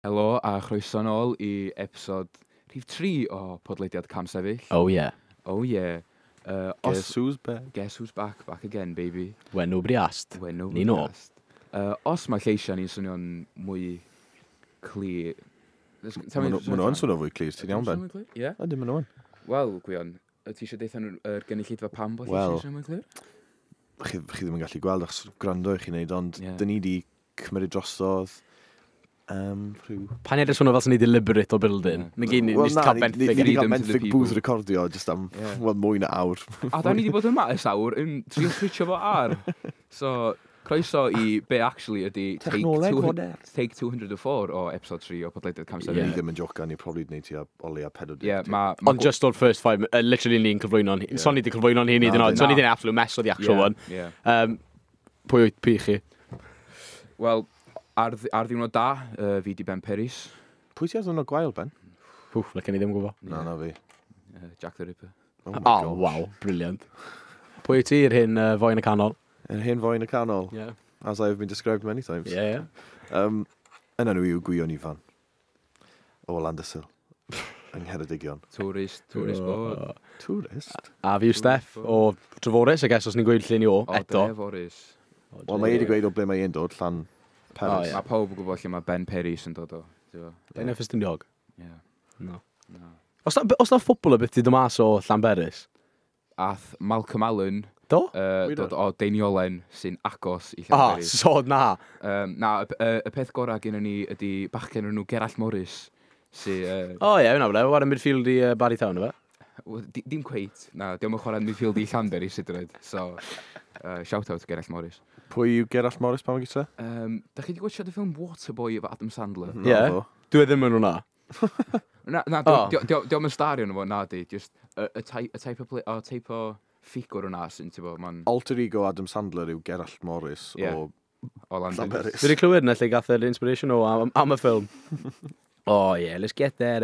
Helo a chroeso nôl i episod rhif 3 o podlediad Cam Sefyll. Oh yeah. Oh yeah. Guess who's back? Guess who's back, back again, baby. When nobody asked. When nobody Ni nôl. asked. Os mae lleisiau ni'n swnio'n mwy clir. Maen nhw'n swnio fwy clir, ti'n iawn, Ben? Ie? Ydyn, maen nhw'n. Wel, Gwion, ti eisiau deitha nhw'r gynulleidfa pam bod Wel. lleisiau'n swnio'n mwy clir? Chi ddim yn gallu gweld achos gwrando i chi wneud, ond Ie. dyn ni di cymryd drosodd rhyw. Pa'n edrych swnio fel sy'n ni deliberate o building. Ie. Ni gyd ni Wel, just na, cael ni benthyg. ni di cael Freedom to the benthyg people. booth recordio just am, Ie. wel, mwy na awr. A da ni wedi bod yma ers awr yn trio switcho fo ar. So, croeso i be actually ydy take, Technoleg two, fodern. take 204 o episode 3 o podlediad Cam Ni Sefyll. Ie. ddim yn jocan, ni probably gwneud tua o leia 40. Ie, ma Ond just o'r first five, literally ni'n cyflwyno'n. Ie. So ni wedi cyflwyno'n hyn i Na, dyn nhw. So na. ni wedi absolute mess o the actual Ie, one. ie. Pwy wyt pi chi? Wel, ar ddiwrnod da, fi di Ben Peris. Pwy ti ar ddwrnod gwael, Ben? Pwff, licen i ddim gwybod. Na, na fi. Jack the Ripper. Oh, my Oh, gosh. wow, brilliant. Pwy wyt ti i'r hyn foi yn y canol? Yr hen foi yn y canol, Yeah. as I have been described many times. Yeah, yeah. Yn enw i yw Gwion Ifan. O Landysul. Yng Ngheredigion. Tourist board. Tourist? A fi yw Steff o Treforys, I guess, os ni'n gweud lle ni o, O, eto. Dreforys. Wel, mae e wedi gweud o ble mae e'n dod, Llan Peris. O, ie. Mae pawb yn gwybod lle mae Ben Peris yn dod o. Ti'n gwbod? Dwi'n Ffestiniog. Ie. No. Na. Os na ffwbl y beth di dod mas o Llanberis? Ath Malcolm Allen Do? Wir dod o Deiniolen sy'n agos i Ah, Llanberis. so na. Na, y peth gorau gen ni ydy bachgen o'r enw Gerallt Morris. Sy, O ie, hwnna ble, war yn midfield i Barry Town, efe? Wel, dim cweit, na, diolch yn chwarae midfield i Llanberis hyd yn oed. So, shout out Gerallt Morris. Pwy yw Gerallt Morris pan mae'n gyda? Da chi wedi gwachio y ffilm Waterboy efo Adam Sandler? Ie. Dwi e ddim yn hwnna. Na, na, O. diolch yn stario nhw fo, na di. Just y type o, o type o ffigwr yna sy'n, ti'n bod, ma'n Alter ego Adam Sandler yw Gerallt Morris Ie. o o Llanberis. Llanberis. Dwi wedi clywed yna lle gath yr inspiration o am y ffilm. Oh yeah, let's get that.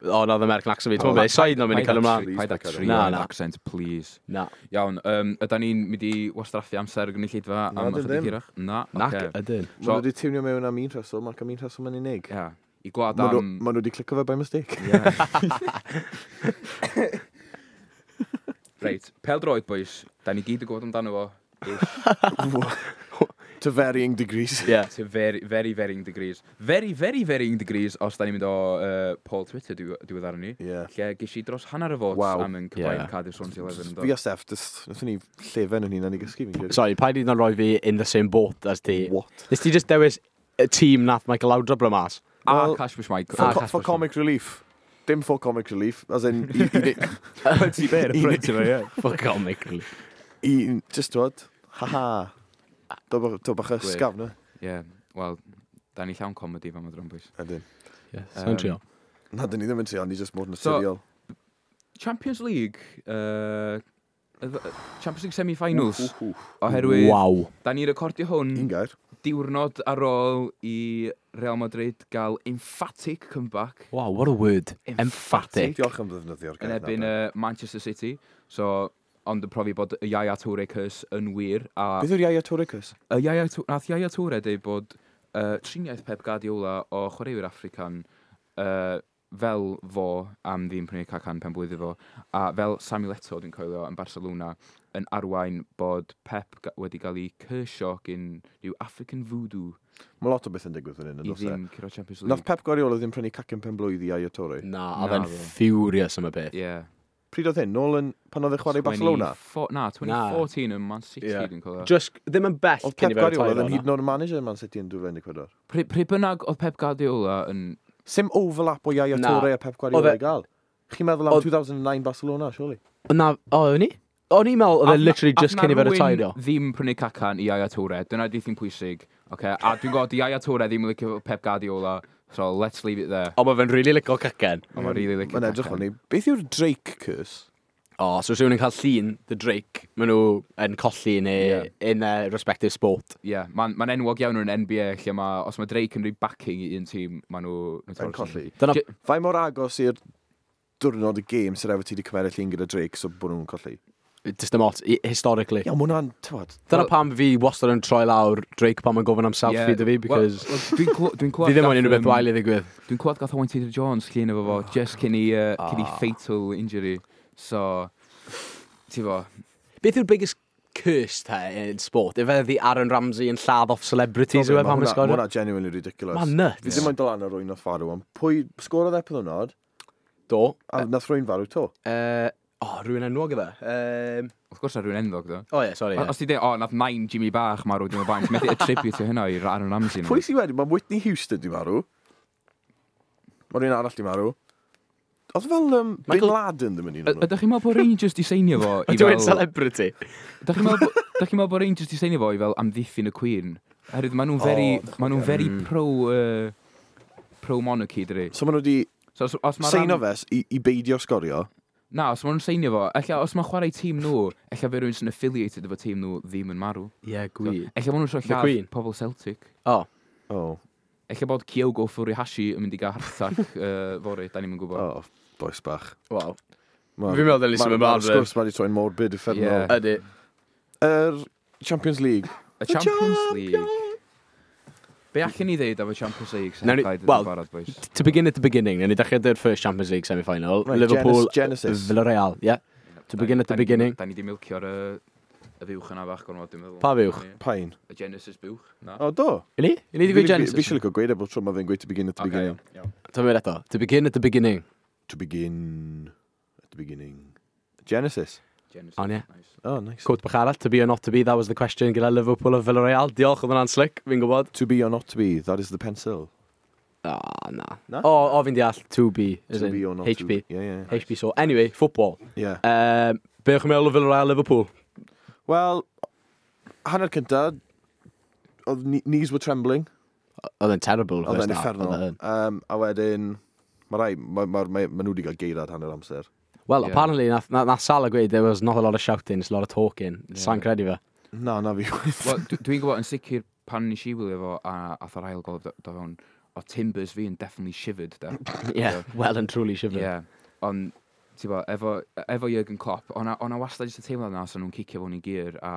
Oh, na, the American accent fi. Ti'n gwybod beth, side no'n mynd i cael ymlaen. Paid a trio Na, an na. accent, please. Na. Iawn, ydan ni'n mynd i wastraffu amser y gynulleidfa Na, am dyn ychydig ddim. hirach? Na, Nac ocê. ydyn. Maen nhw wedi tiwnio mewn am un rheswm ac am un rheswm yn unig. Ie, i gwlad Maen nhw am. ma' nhw wedi clicio fe by mistake. Ie. Reit, pel droed, boys. Da ni gyd yn gwybod amdano fo. Ish. To varying degrees. Yeah. To very, very varying degrees. Very, very varying degrees os da ni'n mynd o poll Twitter diweddar ni. Ie. Lle ges i dros hanner y votes Waw. am yn cyflaen Ie. Cardiff Swansea 11 yn Fi do. a Steff, just, wnaethon ni llefen yn hunan i gysgu fi'n credu. Sorry, paid i yn roi fi in the same boat as ti. What? Nes ti just dewis y tîm nath Michael Laudrup roi mas? A Wel, Kasper Schmeichel. For, Ah, co for Kasper comic relief. Dim for comic relief, as in, i, Ti be, y ffrynt efo, ie. For comic relief. i, just dod, haha. Do bach Gwych. ysgafn, na? Ie, wel, da ni llawn comedy fan madron, boys. Ydyn. Yeah, so'n trio. Na, dyn ni ddim yn trio, ni just mod So- naturiol. Champions League, Champions League semi-finals, oherwydd Waw. da ni'n recordio hwn Un gair. diwrnod ar ôl i Real Madrid gael emphatic comeback Wow, what a word. Emphatic. Diolch am ddefnyddio'r gair. yn na, erbyn Ben. Manchester City. So, ond yn profi bod y Yaya Toure curse yn wir. A Beth yw'r Yaya Toure curse? y Yaya, nath Yaya Toure dweud bod triniaeth Pep Guardiola o chwaraewyr African fel fo am ddim prynu cacan pen blwydd fo, a fel Samuel Eto'o dwi'n coelio yn Barcelona yn arwain bod Pep wedi cael ei cursio gyn rhyw African voodoo Mae lot o beth yn digwydd fan hyn, i yn does e? ddim curo Champions Nath League. Pep Guardiola ddim prynu cacen pen blwydd i Yaya Toure. Na, Na, oedd e'n fe. furious am y beth. Ie. Pryd oedd hyn? Nôl yn, pan oedd e chwarae i Barcelona? Na, 2014 yn Man City Ie. dwi'n coelio. Just, ddim yn bell Oedd cyn Pep i fe Guardiola retire ddim o'na. hyd yn oed yn manager Man City yn 2014. Pryd bynnag oedd Pep Guardiola yn. Sim overlap o Yaya Na. Toure a Pep Guardiola Oedd e- i gael. Chi'n meddwl am Oedd- 2009 Barcelona, surely? Na, o, o'n i? O'n i'n meddwl oedd e literally just Ath cyn i na fe rywun retire. ddim prynu cacan i Yaya Toure. Dyna di thing pwysig. Okay? A dwi'n gwybod, di Yaya Toure ddim yn licio Pep Guardiola. So let's leave it there. Ond mae fe'n really licio cacen. Ond mae'n really licio Mae'n edrych cacan. fel ni. Beth yw'r Drake curse? O, so os rhywun yn cael llun, The Drake, maen nhw yn colli neu Ie. in their respective sport. Ie, yeah, mae'n ma enwog iawn yn NBA lle mae, os mae Drake yn rhoi backing i un tîm, maen nhw Yn colli. Dyna, Fai mor agos i'r diwrnod y gêm sydd efo ti wedi cymeryd llun gyda Drake, so bod nhw'n colli. Just dim ots, historically. Ie, ma' hwnna'n, t'wod, Dyna pam fi wastad yn troi lawr Drake pan mae'n gofyn am selfie dy fi, because Dwi'n fi clywed ddim yn unrhyw beth wael i ddigwydd. Dwi'n clywed gath Owain Tudor Jones llun efo fo, just cyn i fatal injury. So, ti fo, Beth yw'r biggest curse te in sport? Ife the Aaron Ramsey yn lladd off celebrities yw e pan mae'n Ma' sgorio? hwnna genuinely ridiculous. Ma'n nuts. Fi ddim yn dod lan ar rwy'n nath farw, ond pwy sgorodd e peth? Do. A nath rwy'n farw to. Oh, rhywun enwog efe. Wrth gwrs ar rhywun enwog, do. Oh, ie, sorry. Os ti dweud, o, nath nain Jimmy Bach marw, dwi'n meddwl, methu attribute hynna i'r Aaron Ramsey. Pwy sydd wedi? Mae Whitney Houston di marw. Mae rhywun arall di marw. Oedd fel Bin Laden ddim yn un o'n nhw. Ydych chi'n meddwl bod Rangers di seinio fo i Dwi'n fel celebrity. Ydych chi'n meddwl bod Rangers di seinio fo i fel amddiffyn y Queen? Oherwydd maen nhw'n very, O, maen nhw'n very pro monarchy, dydi? So maen nhw wedi So os ma' seino fe i beidio sgorio. Na, os maen nhw'n seinio fo, ella os mae'n chwarae tîm nhw, ella fe rhywun sy'n affiliated efo tîm nhw ddim yn marw. Ie, gwir. Ella maen nhw'n trio The lladd Queen. pobl Celtic. Oh, Oh, Ella bod Kyogo Furuhashi yn mynd i gael heart attack fory, da ni'm yn gwybod. oh, boys bach. Wel. Ma' Fi'n meddwl dylai symud Ma'r ymlaen, sgwrs ma' wedi troi'n morbid uffernol. Ie. Ydy. Yr Champions League. Y Champions League. Be allan ni ddeud am y Champions League sy'n Nawn ni- rhaid wel, yn barod, boys? To begin at the beginning, newn ni dechrau dy'r first Champions League semi-final. Right, Liverpool, Genesis. Villarreal, yeah. To begin at the beginning. Da ni di milcio'r y fuwch yna bach gormod, dwi'n meddwl. Pa fuwch? Pain. Y Genesis buwch, na. O, do. I ni? I ni di gweud Genesis? Fi eisiau licio gweud e bod tro ma fe'n gweud to begin at the Ocê, beginning. iawn, iawn. Ti'n mynd eto. To begin at the beginning. To begin at the beginning. Genesis. Genesis, On, ie. nice. Oh, nice. Quote bach arall, to be or not to be, that was the question gyda Liverpool a Villarreal. Diolch, oedd hwnna'n slick, fi'n gwybod. To be or not to be, that is the pencil. Ah, na. Na? O, o fi'n deall, to be, as To in be or not to HB. be. Yeah. HB, so anyway, football. Yeah. Be o'ch chi'n meddwl o Villarreal Liverpool? Wel, hanner cynta, oedd knees were trembling. Oedd e'n terrible. Oedd first e'n half, uffernol. oedd e'n. A wedyn, mae rai, mae ma, ma, ma nhw wedi cael geirad hanner amser. Well, Yeah. apparently, nath Salah gweud there was not a lot of shouting, it's a lot of talking. Yeah. Sa'n credu fe. Na, na fi. Wel, dwi'n gwybod yn sicr pan nes i wylio fo a ath yr ail gol do fewn, o timbers fi yn definitely shivered, da. Yeah, well and truly shivered. Yeah. Ond, ti'n bo, efo Jurgen Klopp, o'na wastad jyst y teimlad yna sa nhw'n cicio fewn i gear a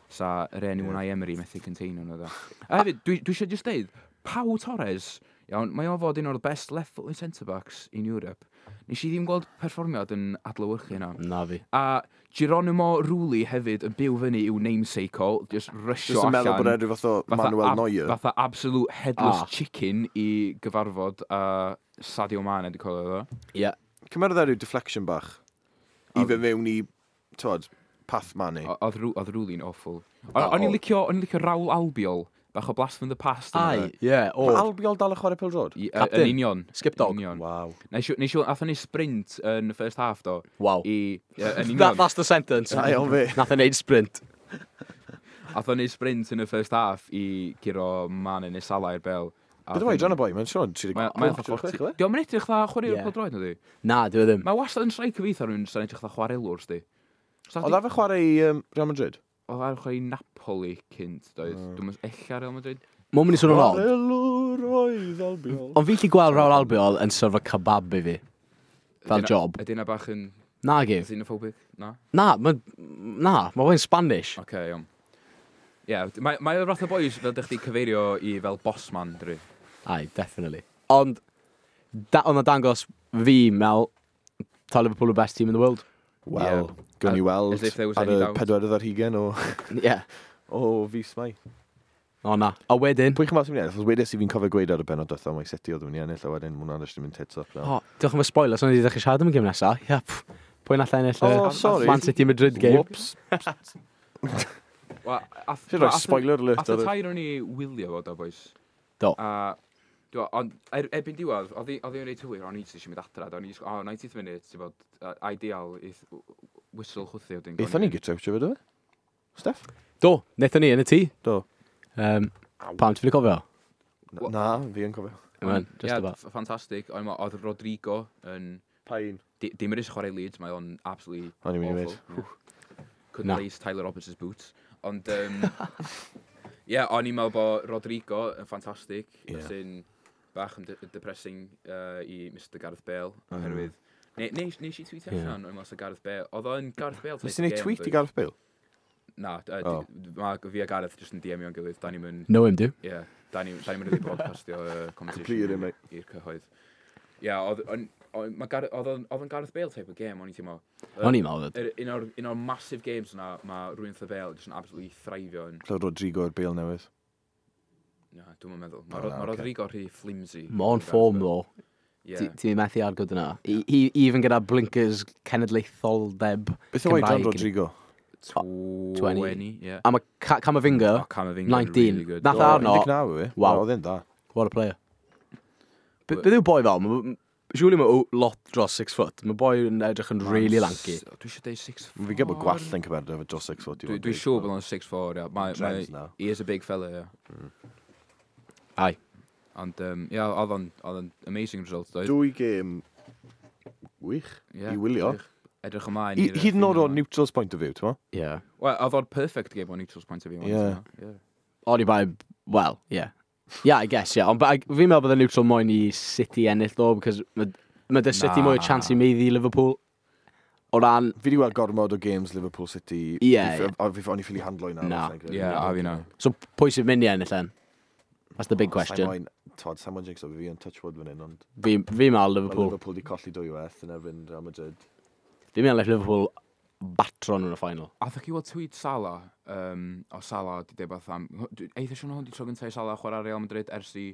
sa yr enw Unai Emery methu containio nhw, da. A hefyd, dwi eisiau just deud, Pau Torres, iawn, mae o fod un o'r best left-footed centre-backs in Europe. Nes i ddim gweld perfformiad yn adlewyrchu hynna. Na fi. A Geronimo Rulli hefyd yn byw fyny i'w namesake o, just rysio Just yn meddwl allan. bod e'n rhyw fath o Manuel Neuer. Fatha absolute headless Ah. chicken i gyfarfod a Sadio Mane, dwi'n cofio fo. Yeah. Cymerodd e ryw deflection bach. I fe mewn i, t'wod, path Mane. Oedd Rulli'n awful. O'n i'n licio Raul Albiol, bach o blast from the past. yna Ai, fe. yeah, o. Mae Albiol dal yn chwarae pêl-droed? Captain. Yn union. Skip dog. Yn union. Waw. Nes i, athon ni sprint yn y first half, do. Wow. I, ie, yn union. That's the sentence. Da iawn fi. Nath e neud sprint. Athon ni sprint yn y first half i guro Mane neu Salah i'r bel. Beth yw oedran y boi? Mae'n siŵr Mae'n 36, 40. Diolch yn edrych dda chwaraewr Ie. pêl-droed, nadi? Na, dwi e ddim. Mae wastad yn striker fi, rhywun sy'n edrych dda chwarelwr, sdi. Oedd a fe chwarae i Real Madrid? Oedd ar chwarae i Napoli cynt, doedd. Dwi'n meddwl ella Real Madrid. Mae'n mynd i swnio'n odd. Chwarelwr oedd Albiol. Ond fi'n gallu gweld Raul Albiol yn syrfo kebab i fi. Fel Ydy job. Ydy na bach yn Na gi. xenophobic? Na? Na, mae na, ma fe'n Spanish. Oce, okay, iawn. Ie, yeah, mae o'r fath o boys fel dych chi cyfeirio i fel bossman, dwi. Aye, definitely. Ond, da, ond na dangos fi, Mel, ta Liverpool the best team in the world. Wel, Yeah. gawn ni weld As if there was ar any y doubt. pedwerydd ar hugen o, Yeah. o fis Mai. O na. A wedyn... Pwy chi'n meddwl sy'n mynd i ennill? Achos wedes i fi'n cofio gweud ar y benod diwethaf mai City oedd yn mynd i ennill, a wedyn ma' hwnna'n jyst yn mynd tits up now. O, diolch am y spoiler, so ni wedi dechrau siarad am y gêm nesa. Ia, pff, pwy nath ennill y Oh, sorry. Man City Madrid game? Whoops. Wel, Ti'n rhoi spoiler alert Ath y ar y... tair o'n i wylio fo, do, boys. Do. A, dwi, ond erbyn diwedd, oedd hi'n reit hwyr, o'n i jyst eisiau mynd adra, do, o'n i jyst, oh, 90th minute, ti'n bod, ideal, i whistle chwthu wedyn. Aethon ni gytre, wyt ti fod o fe? Steff? Do, wnaethon ni yn y tŷ. Do. Pam, ti'n ffili cofio? Na, fi yn cofio. Man, just yeah, about. Ffantastig. O'n i'n meddwl, oedd Rodrigo yn Pain. Dim yr eisiau chwarae Leeds, mae o'n absolutely O'n i'n mynd i awful. Yeah. Couldn't Na. lace Tyler Roberts' boots. Ond, yeah, o'n i'n meddwl bod Rodrigo yn ffantastig, Ie. yeah. Sy'n bach yn depressing i Mr Gareth Bale, oherwydd Nes i tweetio allan o'n mas o Gareth Bale. Oedd o'n Gareth Bale Nes ti'n neud tweet i Gareth Bale? Na, mae fi a Gareth jyst yn DM-io'n gilydd. Da ni'n mynd... Know him, do? Ie, da ni'n really broadcastio conversation i'r cyhoedd. Ie, oedd o'n Gareth Bale type o game, o'n i'n teimlo. O'n i'n meddwl. Un o'r massive games yna, mae rhywun fatha Bale jyst yn absolutely thrifio. Lle Rodrigo o'r Bale newydd? Na, dwi'n meddwl. Mae Rodrigo rhy flimsy. Mae o'n form, though. Ti'n methu argod yna. Even gyda blinkers cenedlaetholdeb Cymraeg. Beth yw oedran Rodrigo? 20, yeah. A mae Camavinga, 19. Really good. Nath arno. 19 yw e. Wow. Oedd e'n da. What a player. Beth yw boi fel? Surely mae lot dros 6 foot. Mae boi yn edrych yn really lanky. Dwi eisiau deud 6'4". Fi'n gwybod bod gwallt yn cyferdo efo dros 6 foot. Dwi'n siŵr bod o'n 6'4", yeah. He is a big fella, yeah. Aye. Ond, yeah, oedd o'n amazing result, doedd. Dwy gêm wych i wylio. Edrych ymlaen. Hyd yn oed o neutral's point of view, ti'n mo? Yeah. Wel, oedd o'n perfect game o neutral's point of view. Yeah. O'n i bai, well, yeah. Yeah, I guess, yeah. Ond fi'n meddwl bod y neutral moyn i City ennill, though, because mae dy City mwy o chance i meiddi Liverpool. O ran... Fi di weld gormod o games Liverpool City. Yeah. O'n i ffili handlo i nawr. Na. Yeah, a fi na. So, pwy sy'n mynd i ennill then? That's the big question. Todd, Simon Jinx o fi yn touch wood fan hyn, ond... Fi'n meddwl Liverpool. Liverpool di colli dwywaith yn erbyn Real Madrid. Fi'n meddwl Liverpool batro nhw yn y final. A ddech chi weld tweet Salah, o Salah di deud beth am... Eitha siwn hwn di tro gyntaf i Salah chwarae Real Madrid ers i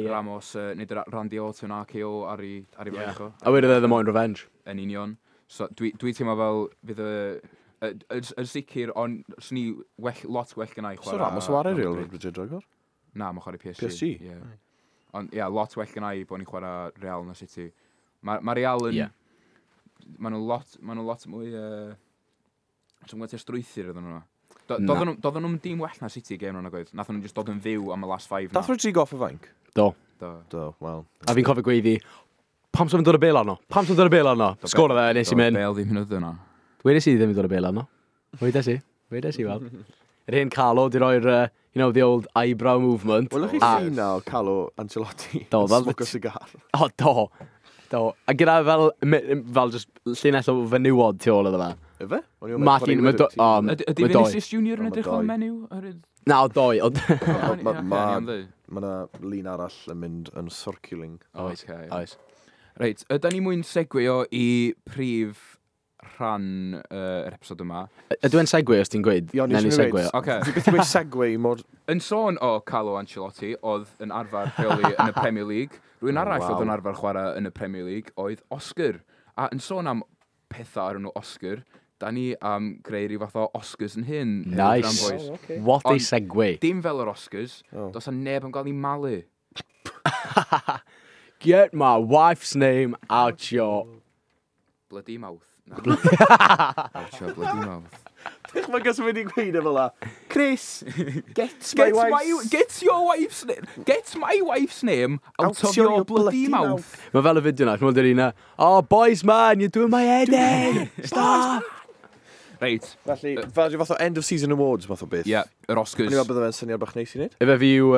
Ramos, nid Randy Orton RKO ar ei fraich o. A wedodd e ddim moyn revenge. Yn union. So dwi teimlo fel fydd y... Yn sicr, ond swn i lot well gynna i chwarae... So Ramos o chwarae Real Madrid ragor? Na, mae'n chwarae PSG. PSG? Yeah. Ond, ie, lot well gynna i bod ni'n chwarae Real na City. Mae Real yn... Maen nhw lot mwy... Dwi'n gwybod strwythur iddyn nhw. Doedden nhw'n dim well na City game nhw'n oedd. Nathon nhw just dod yn fyw am y last 5 na. Dath Rodrigo off y fainc? Do. Do, wel. A fi'n cofio gweiddi, pam sy'n dod y bêl arno? Pam sy'n dod y bêl arno? Sgoro fe, nes i mynd. Bale ddim yn oedd yna. Wedes i ddim yn dod y bêl arno. Wedes i, wel. Yr hen Carlo di roi'r, you know, the old eyebrow movement. Welwch chi llun na o Carlo Ancelotti? Do. Smoke o cigar. O, do. Do. A gyda fel just llinell o fenywod tu ôl iddo fe. Ife? Martin, mae doi. Ydy Vinicius Junior yn edrych fel menyw? Na, o doi. Mae yna lun arall yn mynd yn circling. Oes. Oes. Reit, ydy ni mwyn segwyo i prif rhan yr episod yma. Ydw i'n segue os ti'n gweud? Ie, Newn ni segue. Okay. Fi byth yn gweud segue mor... Yn sôn o Carlo Ancelotti, oedd yn arfer rheoli yn y Premier League. Rwy'n arall oedd yn arfer chwarae yn y Premier League oedd Oscar. A yn sôn am pethau ar enw Oscar, da ni am greu rhyw fath o Oscars yn hyn. Nice. Oh, okay. What a segue. Dim fel yr Oscars, does a neb yn gael ei malu. Get my wife's name out your... Bloody mouth. No. Out your bloody mouth. Mae gos wedi gweud efo la. Chris, get my wife's... Get your wife's name... Get my wife's name out of your bloody mouth. Mae fel y fideo na, ti'n meddwl un na. Oh, boys man, you're doing my head in. Stop. Reit. Felly, fel rhyw fath o end of season awards fath o beth. Ie, yr Oscars. O'n i'n meddwl bydde fe'n syniad bach neis i wneud. Efe fi yw...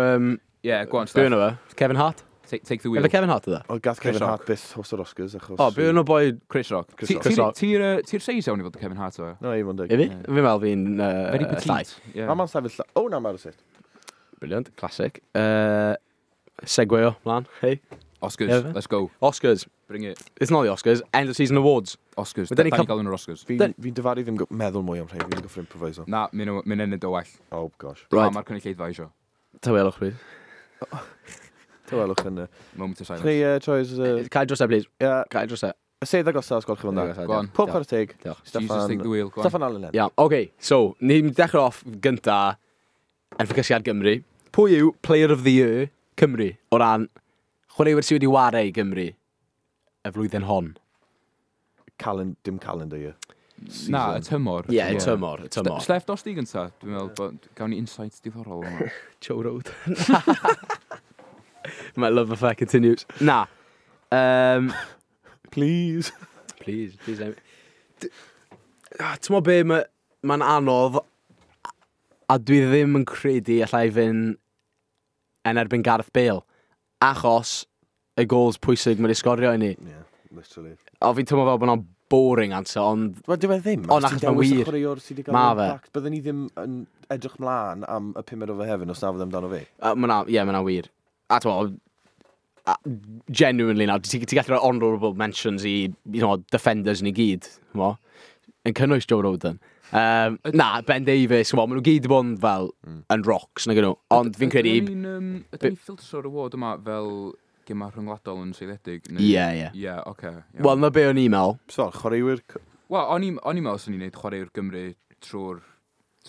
Ie, go on, Steph. Be yna fe? Kevin Hart? Take the wheel. Efe Kevin Hart yna? O, gath Kevin Hart byth host o'r Oscars, achos... O, be yna boi... Chris Rock. Chris Rock. Ti'r seis iawn i fod y Kevin Hart o? No, i fod yn deg. Efe? Fi'n meddwl fi'n... Very petite. Na, ma'n sefyll... O, na, ma'n sefyll. Brilliant, classic. Segway o, mlaen, hey. Oscars, let's go. Oscars. Bring it. It's not the Oscars, end of season awards. Oscars, da ni'n gael yn yr Oscars. Fi'n dyfaru ddim meddwl mwy am rhaid, fi'n goffo improviso. Na, mynd enid o well. Oh, gosh. Right. Mae'r cynulleidfa eisiau. Tawelwch, please. Tawelwch yn... Moment of silence. Ni, Troys... Cael dros e, please. Cael dros e. Y sedd agosaf, os gwelwch chi fel yna. Go on. Pob chwarae teg. Diolch. Jesus, take the wheel. Go on. Steffan Allen. Iawn, oce. So, ni'n dechrau off gynta yn ffocysu ar Gymru. Pwy yw Player of the Year Cymru o ran chwaraewyr sydd wedi ware i Gymru y flwyddyn hon? Dim calendar year. Na, y tymor. Ie, y tymor. Steph, dos di gynta? Dwi'n meddwl bod gawn ni insights diddorol yma. Joe Road. My love affair continues. Na. Please. Please, please. Ti'n meddwl be, mae'n anodd a dwi ddim yn credu allai fynd yn erbyn Gareth Bale achos y goals pwysig mae wedi sgorio i ni. Yeah. Literally. O, fi'n teimlo fel bod hwnna'n boring answer, ond Wel, dyw e ddim. O, na, achos mae'n wir. Chwaraewr sydd wedi Ma gael fe. impact. Byddwn ni ddim yn edrych mlaen am y pumed o Fehefin os na fydd amdano fe. Ma' 'na, ie, ma' 'na wir. A t'mo, genuinely nawr, ti gallu rhoi honourable mentions i, defenders ni gyd, t'mo, yn cynnwys Joe Roden. Na, Ben Davies, t'mo, maen nhw gyd wedi bod yn fel, yn rocks, nag nhw. Ond fi'n credu. Ydyn ni'n ffiltro'r award yma fel gema rhyngwladol yn seiliedig? Ie, ie. Ie, oce. Iawn. Wel, na be o'n i'n meddwl. So, chwaraewyr. Wel, o'n i'n meddwl swn i'n neud chwaraewr Gymru trwy'r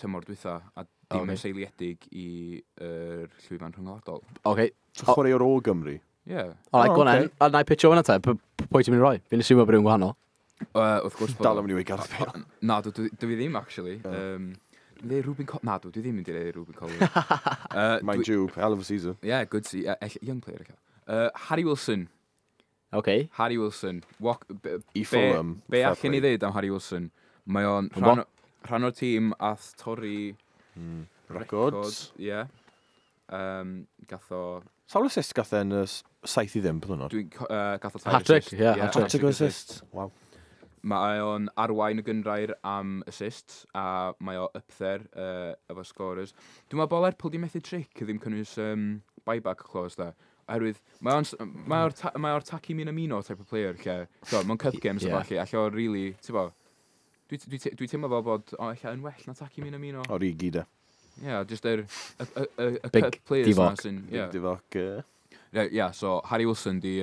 tymor dwytha, a dim yn seiliedig i'r llwyfan rhyngwladol. Oce. So, chwaraewr o Gymru. Ie. Yeah. Alright, O, go on ocê. then. A na i pitcho hwnna te. Pwy ti'n mynd i roi? Fi'n assumo bod rhywun gwahanol. Wrth gwrs bod Dal am mynd i weud Gareth Bale. Na, dwi ddim, actually. Dwi'n dweud Ruben Na, dwi ddim yn dweud Ruben Colwyn. Mind you, hell of a season. Yeah, good see. Young player, ella. Harry Wilson. Oce. Harry Wilson. Walk, I Fulham. Be fair allan i play. ddeud am Harry Wilson? Mae o'n Bo? rhan o'r tîm ath torri Records. Ie. Gath o Sawl assist gath e yn y 7-0, bydd hwnnw? Gath o tair Hat-trick, assist. ie, hat-trick. Hat-trick o assist. Wow. Mae o'n arwain y gynghrair am assists, a mae o up there efo scorers. Dwi'n meddwl bod Lerpwl di methu trick ddim cynnwys buyback clause da. Oherwydd, mae o'r Taki Minamino type of player lle, so, mewn cup games yeah. Ie. a falle, alle o really, ti'n bo, dwi teimlo fel bod o ella yn well na Taki Minamino. Origi de. Yeah, just y Big cup players na Divock. sy'n. Big Divock. Yeah, so Harry Wilson di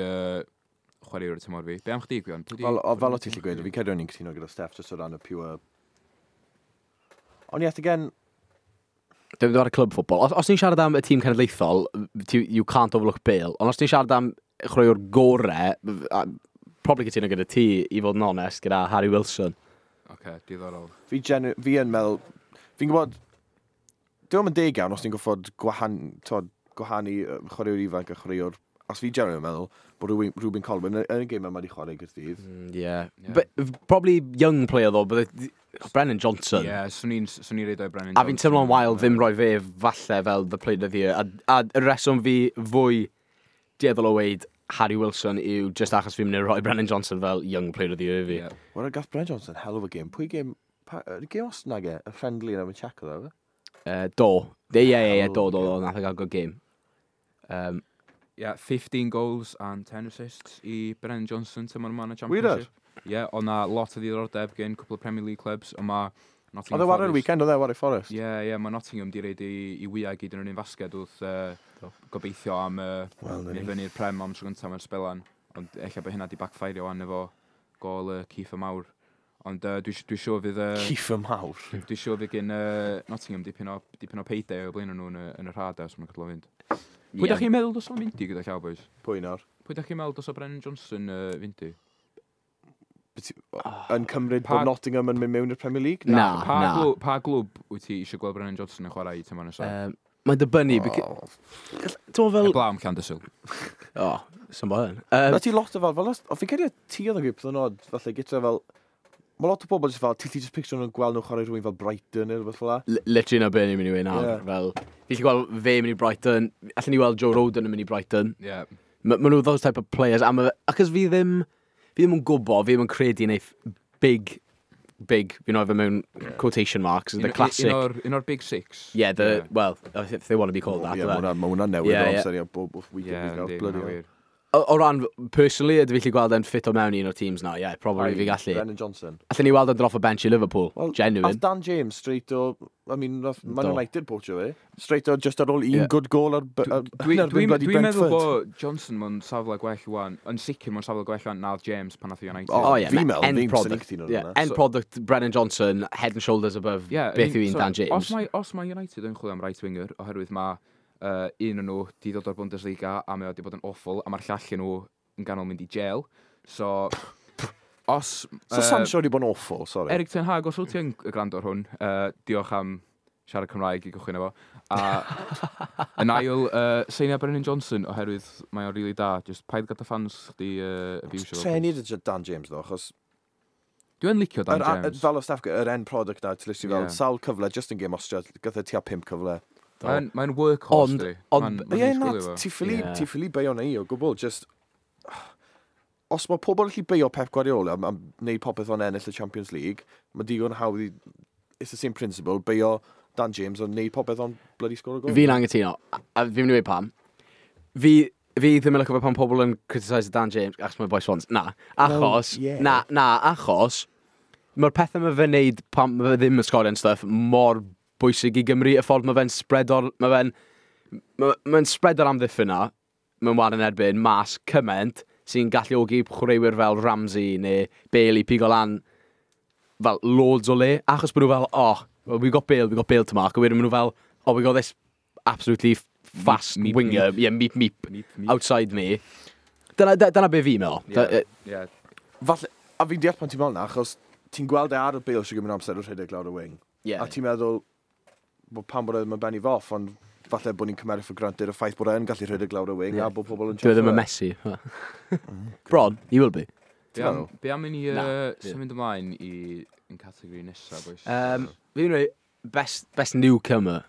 chwaraewr y tymor fi. Be am chdi, Gwion? Fel o ti'n gallu gweud, fi'n credu o'n i'n cytuno gyda Steph just o ran y pure. Ond yet again, Dwi'n mynd ar y club football. Os ni'n siarad am y tîm cenedlaethol, you can't overlook Bale. Ond os ni'n siarad am chwaraewr gore, probably cytuno gyda ti, i fod yn onest, gyda Harry Wilson. Oce, diddorol. fi yn meddwl, fi'n gwybod, dwi'n yn deg iawn os ni'n goffod t'od, gwahanu chwaraewr ifanc a chwaraewr, os fi genuinely yn meddwl bod Rubin Colwyn yn y gêm yma wedi chwarae Gaerdydd. Yeah. Yeah. But, probably young player though, but Brennan Johnson. Ie, yeah, swn i'n reid o'i Brennan A fi'n Johnson. teimlo'n wael ddim rhoi fe falle fel the player of the year. A y reswm fi fwy dueddol o weid Harry Wilson yw just achos fi'n mynd i rhoi Brennan Johnson fel young player of the year fi. Yeah. Wel, gath Brennan Johnson hell of a game. Pwy game, game os nag e, y friendly yna mewn Czech oedd e? Do. Ie, Hell do, of a do, game. do, nath o gael good game. Yeah, 15 goals and 10 assists i Brennan Johnson tymor yma yn y Wir? Championship. Ie, yeah, oedd na lot o ddiddordeb gen cwpl o Premier League clubs, ond mae Nottingham Oedd e wario'r Forest. weekend, oedd e wario Forest? Ie, yeah, mae Nottingham di reid i wyau gyd yn yr un fasged wrth gobeithio am Wel, na mynd ni. fyny'r Prem am tro gyntaf mewn sbelan. Ond ella bod hynna di backfire wan efo gol Kiefer Mawr. Ond dwi siŵr fydd Kiefer Mawr. Dwi siŵr fydd gen Nottingham dipyn o payday o blaen nhw yn yr hada os ma'n cadw fynd. Pwy da chi'n meddwl dos o'n mynd i gyda llaw, boys? Pwy nawr? Pwy da chi'n meddwl dos o Brennan Johnson fynd i? Yn cymryd bod Nottingham yn mynd mewn i'r Premier League? Na, Pa, na. pa glwb wyt ti eisiau gweld Brennan Johnson yn chwarae i tymor nesaf? Mae'n dibynnu. Oh. Ti'n fel. Heblaw am Llandysul. O, sy'n bod yn. Na ti lot o fel, o fi'n credu ti oedd yn gweud peth yn odd, falle gyda fel, mae lot o bobl jyst fel, ti'n gallu just picture nhw'n gweld nhw chwarae rhywun fel Brighton neu rhywbeth fel 'la. Literally na be ni'n mynd i weud nawr. Ie. Fel, fi gallu gweld fe mynd i Brighton, allan ni weld Joe Roden yn mynd i Brighton. Ie. Yeah. Ma nhw those type of players. A ma, achos fi ddim yn gwybod, fi ddim yn credu neith big, big, fi'n rhoi fe mewn quotation marks, the classic. Un o'r Big Six. Yeah, the, well, if they want to be called that. Ie, Yeah, ma' hwnna'n newid Ie, o ie. amser i bob weekend Ie, yeah, yndi, bloody ma' hell. wir. O ran, personally, ydw fi gallu gweld e'n ffit o mewn i un o'r teams na, yeah, probably fi gallu. Brennan Johnson. Allen ni weld e'n drop o bench i Liverpool, Wel, genuine. Ath Dan James straight o, I mean, nath Man Do. United poachio fe. Straight o, just ar ôl un Ie. good goal ar, Dwi'n yn erbyn dwi, bloody dwi meddwl Brentford. bod Johnson mewn safle gwell wan, yn sicr mewn safle gwell wan nath James pan nath i United. O, Oh, yeah, fi'n meddwl, end fi'n swn i'n product. cytuno ar Yeah, hwnna. end product, Brennan Johnson, head and shoulders above Yeah, beth yw un Dan James. Os mae United yn chwilio am right winger, oherwydd mae un o'n nhw di ddod o'r Bundesliga a mae o di bod yn awful, a mae'r llall yn nhw yn ganol mynd i jail. So, os So Sancho wedi bod yn awful, sorry. Eric Ten Hag, os wyt ti yn gwrando ar hwn, diolch am siarad Cymraeg i gychwyn efo. A yn ail, seinia Brennan Johnson, oherwydd mae o'n rili da. Just paid gyda fans chdi abusio fo. Treni dy Dan James ddo, achos Dwi yn licio Dan James. fel o staff, yr end product na, ti'n literally fel Ie. sawl cyfle, just yn game Austria, gath e tua 5 cyfle. Mae'n workhorse, Ond- di. ond- Mae'n Ie, na, disgwylio fo. ti ffili, Ie. ti ffili beio na i o gwbl, just. Os mae pobl yn gallu beio Pep Guardiola am wneud popeth o'n ennill y Champions League, mae digon hawdd i... It's the same principle, beio Dan James o'n wneud popeth o'n bloody score o gol. Fi'n angytuno, a fi'n mynd i weud pam. Fi ddim yn licio fe pan pobl yn criticise Dan James, achos mae'n boi Swans. Na, achos, Well, yeah. na, achos, mae'r pethau mae fe'n neud pan mae fe ddim yn sgorio and stuff mor bwysig i Gymru, y ffordd mae fe'n spreado'r, mae'n spreado'r amddiffyn na, mae'n war yn erbyn, mas cymaint sy'n galluogi chwaraewyr fel Ramsey neu Bale i pigo lan fel loads o le, achos bod nhw fel, "Oh, well, we got Bale to mark," a wedyn maen nhw fel, "Oh, we got this absolutely fast Meep, winger, meep. yeah, meep, meep, Meep, meep. outside me." Dyna be fi'n meddwl. Yeah. Falle, a fi'n deall pan ti'n meddwl na, achos ti'n gweld e ar y Bale sy'n gymryd amser o rhedeg lawr y wing. Yeah. A ti'n meddwl, bod pam bod e ddim yn benni foff, ond falle bod ni'n cymeryd for granted y ffaith bod e'n gallu rhedeg lawr y wing a bod pobl yn Dwi e ddim yn checio. Messi. Bron, he will be. Be am, be am i ni Na, ie. symud ymlaen i yn categori nesaf, boys? Fi'n rhoi best newcomer.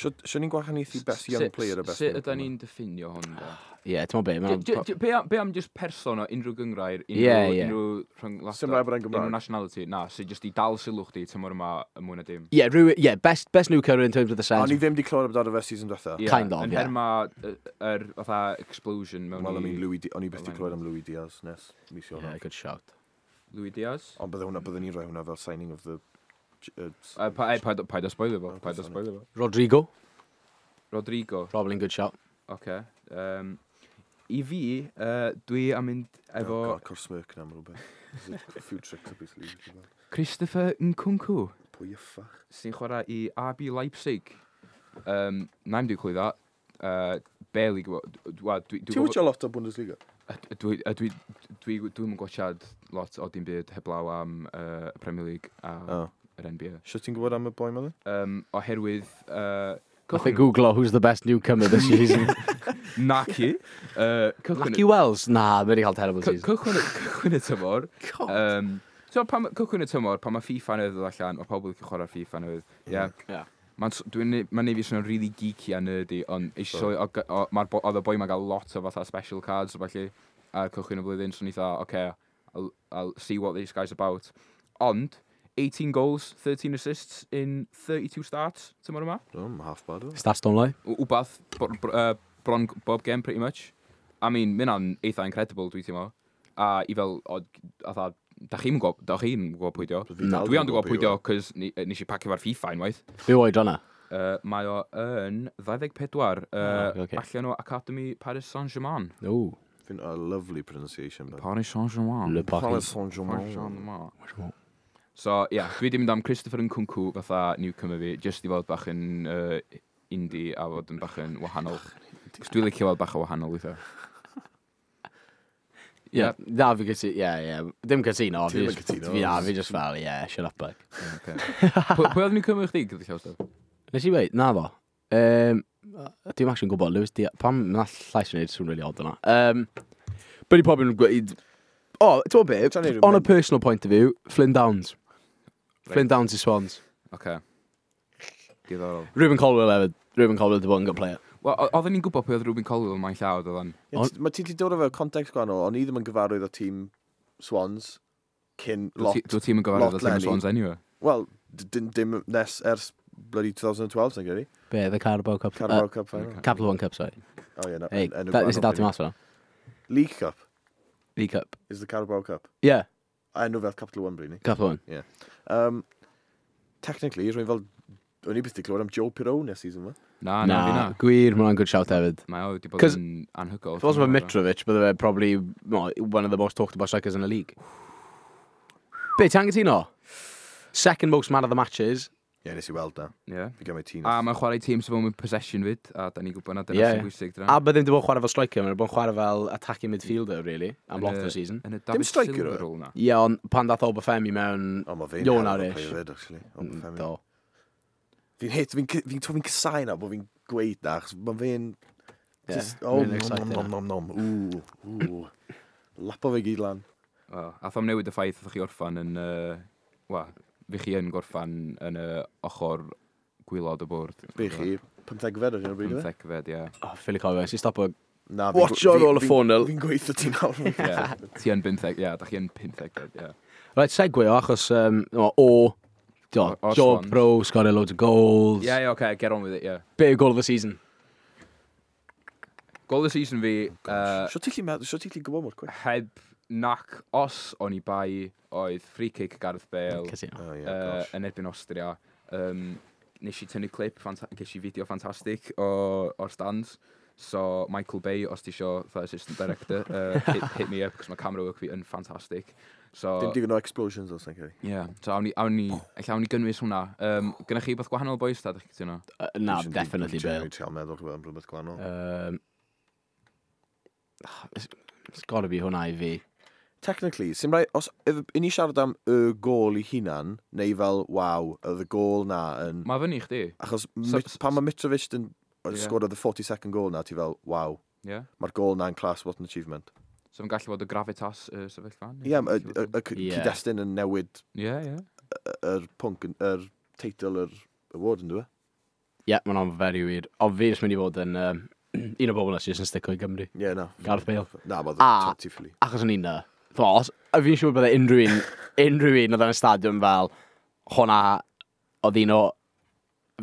Sio ni'n gwahaniaethu best young player a best Sut newcomer? ydan ni'n diffinio hwn, da? Yeah, ti'n meddwl be? Be am just person o unrhyw gyngrair, unrhyw, Ie, ie. unrhyw rhyngwladol, Sim rhaid bod e'n Gymraeg. unrhyw nationality, na, sy'n just i dal sylw chdi tymor yma y mwy na dim. Yeah, yeah, best newcomer in terms of the sense. O'n i ddim di clywed amdano fe season diwetha. Ie, Kind of, yn ie. herma yr fatha explosion mewn Wel, I i mean, o'n i byth di clywed am Louis Diaz nes mis Yeah, Ionawr. good shout. Louis Diaz. Ond bydde hwnna, bydde ni'n rhoi hwnna fel signing of the... Paid o spoilio fo, paid o sorry. spoilio fo. Rodrigo, Rodrigo, probably good shout. oce. I fi, dwi am mynd efo Oh, God, cor smirk na am rhywbeth. There's a few tricks up his sleeve. ti'n gwbod. Christopher Nkunku, Pwy y ffach? sy'n chwarae i RB Leipzig. Na i'm di clywed that. Barely gwybod. Wel, dwi Ti'n watcho lot o Bundesliga? Dwi'n gwachad lot o dim byd heblaw am Premier League a Oh. yr NBA. Sio ti'n gwybod am y boi ma then? Oherwydd... Nath e googlo who's the best newcomer this season. Naci. Cychwyn, Lucky Wells? Na, mae wedi cael terrible season. cychwyn y tymor. God. So, pan, cychwyn y tymor, pan mae FIFA newydd ddod allan, mae pobl yn chwarae FIFA newydd. Yeah. Yeah. Mae'n neud fi swnio'n really geeky a nerdy, ond eisiau sylwi, oedd y boi ma'n gael lot o fatha special cards o falle ar cychwyn y flwyddyn, so ni fatha, okay, I'll see what this guy's about. Ond, 18 goals, 13 assists in 32 starts, tymor yma. Oh, half bad o. Stats don't lie. Wbath, bron bob game, pretty much. I mean, mae hynna'n eitha incredible, dwi'n teimlo. A i fel, atha, da chi'n gwybod pwy dio. Na. Dwi ond yn gwybod pwy dio, cos nes i pacio fo'r FIFA unwaith. Be oed hwnna? Mae o yn 24, Oh, ocê. allan o Academy Paris Saint-Germain. No. Fi'n a lovely pronunciation. But. Paris Saint-Germain. Le Paris Paris. Saint-Germain. Paris Saint-Germain. So, ie, yeah, dwi wedi mynd am Christopher Nkunku fatha newcomer fi, just i fod bach yn indie a fod yn bach yn wahanol. Cos dwi'n licio fod bach o wahanol weithiau. Yeah, na, fi gytu, yeah. Dim cytuno. Ti ddim yn cytuno. Fi, na, fi just fel, yeah, shut up, like. Okay. Pwy oedd newcomer chdi, gyda llaw stuff? Nes i weid, na fo. Dwi'n actually'n gwybod, Lewis Diaz, pam na llais yn neud sŵn really odd yna. But i pobl yn gweud, oh, ti'n gwybod Trying be, to on a remember. personal point of view, Flynn Downs. Flynn Downs i Swans. Okay. Diddorol. Ruben Colwell hefyd. Ruben Colwell di bod yn good player. Wel, oedden ni'n gwybod pwy oedd Ruben Colwell mae'n llaw, oedden. Ie, Mae ti 'di dod o fe context gwahanol, o'n i ddim yn gyfarwydd o tîm Swans cyn lot. Dwi ti'n yn gyfarwydd lot o tîm leni. Swans anyway. Wel, dim nes ers bloody 2012, sy'n credu. Be, the Carabao Cup. Carabao Cup final. Capital One Cup, sorry. Oh, yeah, no, Hey, enw that, nes i gwahanol dal ti pryd. mas fan'na. League Cup League Cup. is the Carabao Cup. Yeah, A enw fel Capital One, bryd ni. Capital One. Technically, rwy'n fel... O'n i byth di clywed am Joe Pirone season yma. Na, na, fi na. Gwir, mae hwnna'n good shout hefyd. Mae o wedi bod 'Cause yn anhygoel. If it wasn't for Mitrovic, bydde fe probably well, one of the most talked about strikers in the league. Be, ti'n anghytuno? Second most man of the matches. Ie, yeah, nes i weld na. Ie. Fi gymryd tîm. A mae'n chwarae tîm sydd mewn possession fyd, a da ni'n gwybod na dyna Ie, sy'n ie. bwysig. A bydde ddim wedi bod yn chwarae fel striker, mae'n bod yn chwarae fel attacking midfielder, really, am lot Yn o'r season. Yn y David striker Silva oedd e? rôl na. Ie, ond pan dath Obafemi mewn... O, mae fe'n Ioan hell of a Arish. player fyd, actually. Obafemi. Do. Fi'n hit, fi'n casau na bod fi'n gweud na, achos mae fe'n... Ie, Just, oh, mae'n nom, exciting nom, nom, nom, ooh, ooh. Lapo fe gyd lan. Wel, ath o'm newid y ffaith oedd chi orffan yn... Wel, fi chi yn gorffan yn y ochr gwylod y bwrdd. Be chi, 15fed ar hyn o bryd, ife? 15fed, ie. Oh, ffili cofio, nes i stopo Na, Watch ar ôl y 4-0. Fi'n gweithio ti nawr. Yeah. Ti yn 50, ie, da chi yn 50, ie. Right, segue o, achos o, O job Swans. pro, sgorio loads of goals. Ie, ie, okay, get on with it, ie. Be yw goal of the season? Goal of the season fi, Sio ti'n gallu meddwl, sio ti'n gallu gwybod mor quick? heb nac os o'n i bai oedd free kick Gareth Bale Cytuno. Oh, yeah, gosh. yn erbyn Austria. Nes i tynnu clip, ges i fideo ffantastig o'r stands. So, Michael Bay, os ti isio fatha assistant director, hit me up, cos mae camera work fi yn ffantastig. So, Dim digon o explosions os na'n credu. yeah, so awn ni, ella awn ni gynnwys hwnna. Gynna chi beth gwahanol, boys, ta, dych chi'n cytuno? Na, definitely Bale. Dwi'n trial meddwl rhywbeth am rhywbeth gwahanol. It's gotta be hwnna i fi. Technically, sy'n rhaid, os i ni siarad am y gol i hunan, neu fel, waw, oedd y gol na yn... Mae fyny i chdi. Achos So- pan mae Mitrovic yn Ie. sgored the 42nd goal na, ti fel, waw, Yeah. mae'r gol na'n class, what an achievement. So, mae'n gallu bod y gravitas y sefyllfa. Ie, y Ie. cyd-destun yn newid Ie, ie. yr pwnc, yr teitl yr award yn dwi? Ie, yeah, mae'n very weird. Ond fi jyst mynd i fod yn un o bobl na sydd jyst yn stico i Gymru. Ie, na. Gareth Bale. Na, mae ti ffili. Achos o'n i'n na. Os, a fi'n siŵr bydde unrhyw un oedd yn y stadiwm fel, hwnna oedd un o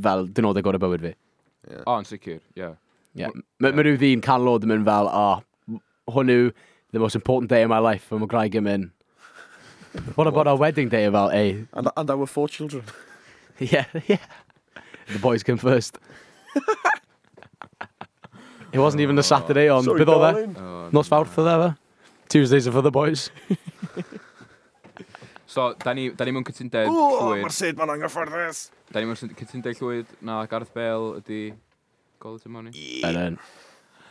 fel dynodau gorau bywyd fi. O, yn sicr, ie. Yeah. Mae ma rhyw ddyn canlod yn mynd fel, oh, hwn yw the most important day of my life, a mae gwraig yn mynd, what about our wedding day? Fel, ei, And our four children. yeah. The boys came first. It wasn't even a Saturday on, Sorry, beth oedd e? darling. O, Nos Fawrth oedd e, fe? Tuesdays are for the boys. So, da ni mewn cytundeb O, llwyr. mae'r syd ma'n anghyfforddus. Da ni mewn cytundeb llwyr na Gareth Bale ydi gol y tymor ni. And then,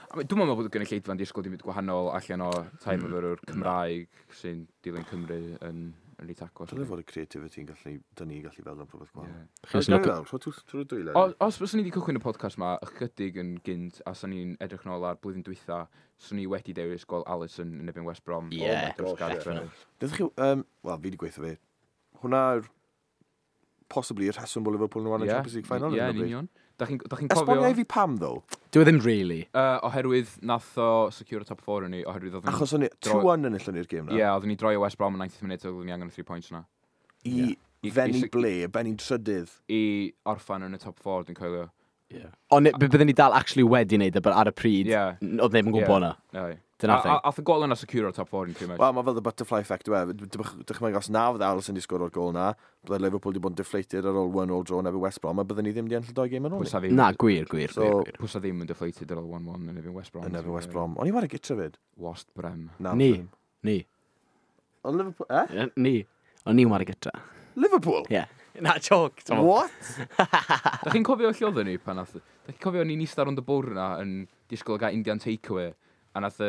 I mean, dwi'n meddwl bod y gynulleidfa'n disgwyl dim byd gwahanol allan o tai myfyrwyr Cymraeg sy'n dilyn Cymru yn reit agos. Dylai fod y creativity yn gallu, dyn ni gallu feddwl am rhywbeth gwahanol. Ie. Chi jyst yn look- Trwy'r dwylo. Os fyswn ni wedi cychwyn y podcast ma ychydig yn gynt a swn ni'n edrych nôl ar blwyddyn dwytha, swn ni wedi dewis gol Alisson yn erbyn West Brom. Ie. Oh my gosh, gosh, Gareth ie. Bale. Dydych chi, wel, fi wedi gweithio fi. Hwna yw'r possibly y rheswm bod Liverpool yn wario Ie, Champions League final. Ie, ar yn hyn o bryd. union. Da chi'n cofio... Esbonia i fi pam, ddo? Dwi ddim really. Oherwydd nath o secure y top 4 yn ni, oherwydd oedden ni... Achos o'n i 2-1 yn enillon ni'r gêm Ie, na. oedden ni droi o West Brom yn 90th minute, oedden ni angen y 3 points na. I I- fenni i- ble, benni'n trydydd. I orffan yn y top 4, dwi'n coelio. Yeah. Ond byddwn ni dal actually wedi wneud e, but ar y pryd, Ie. oedd neb yn gwybod Ie. na. Aye. Dyna'r thing. A ath y gol yna secure o'r top 4 yn pretty much. Wel, mae fel the butterfly effect, yw e. Dychmyg os na fydde Alisson di sgoro'r gol na, bydde Liverpool di bod yn deflated ar ôl 1-0 draw yn erbyn West Brom, a bydden ni ddim di ennill y doi gêm yn ôl. ni. Pwysa ddim, Na, gwir, gwir, So- gwir, gwir. pwysa ddim yn deflated ar ôl 1-1 yn erbyn West Brom. Yn erbyn West Brom. O'n i war y gytra fyd. Wast Brem. Na. Ni. ddim. Ni. Ond Liverpool, eh? Yy, Ni. O'n ni'n wario gytra. Liverpool? Ie. Na, joke. Tom. What? Da chi'n cofio lle oedden ni pan nath... Da chi'n cofio ni'n eistedd rownd y bwrdd na yn disgwyl gael Indian takeaway a nath y...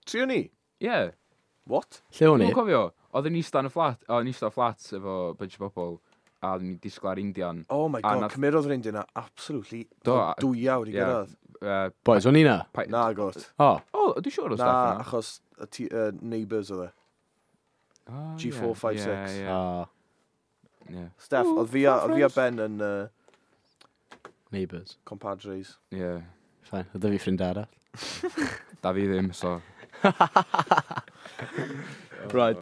Trio ni? Ie, What? Lle o'n i? Dwi'n cofio, oedden ni eistedd yn y fflat, o, ni'n eistedd fflat efo bunch o bobl, a oedden ni'n disgwyl ar Indian. Oh my A god, nath- cymerodd yr Indian na absolutely Do, 2 awr i ie. gyrraedd. Boys, o'n i na? Na, got. O. O, dwi'n siŵr o Na, staff yna. achos y neighbours oedd e. Ah, ie, G456. Ie, O. ie, ie. Steph, oedd fi a, oedd fi a Ben yn Neighbours. compadres. Ie. Fine. Oedd fi ffrind arall. Da fi ddim, so... Right.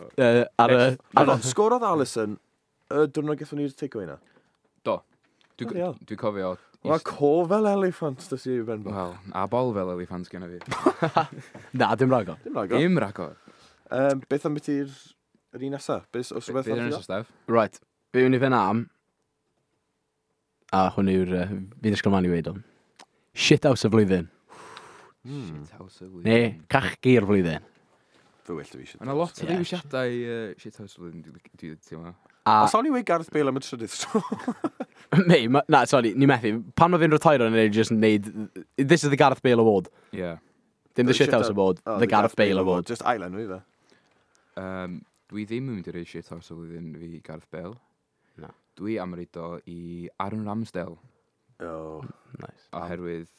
Ar y... Ar y... Sgorodd Alisson y diwrnod gaethon ni'r takeaway na. Do. Dwi'n Bloody hell. dwi cofio... Mae co fel elephant dys i Ben bach. Wel, a bol fel eliffant genna fi. Na, dim ragor. Dim ragor. Dim ragor. Beth am beth i'r yr un nesa? Beth os rhywbeth Beth arall yn i nesaf, Steph? Right. Be yw'n i fynd am... A hwn yw'r... Fi ddisgwyl mlaen i weud o. Shit house y flwyddyn. Shit house y flwyddyn. Neu, cachgi'r flwyddyn. Fe well da fi shit Mae yna lot o Ie. ddewisiadau shit house y flwyddyn, dwi teimlo. A... Os awn i weud Gareth Bale am y trydydd tro. Mei, na, sorry, ni methu. Pan mae fe'n retire o'n ei just neud... This is the Gareth Bale Award. Ie. Dim the Shit House Award, Oh, the Gareth Bale Award. Just ail enw i fe. Dwi ddim yn mynd i roi shit house y flwyddyn fi i Gareth Bale. Na. Dwi am roid o i Aaron Ramsdale, Oh. Nice. oherwydd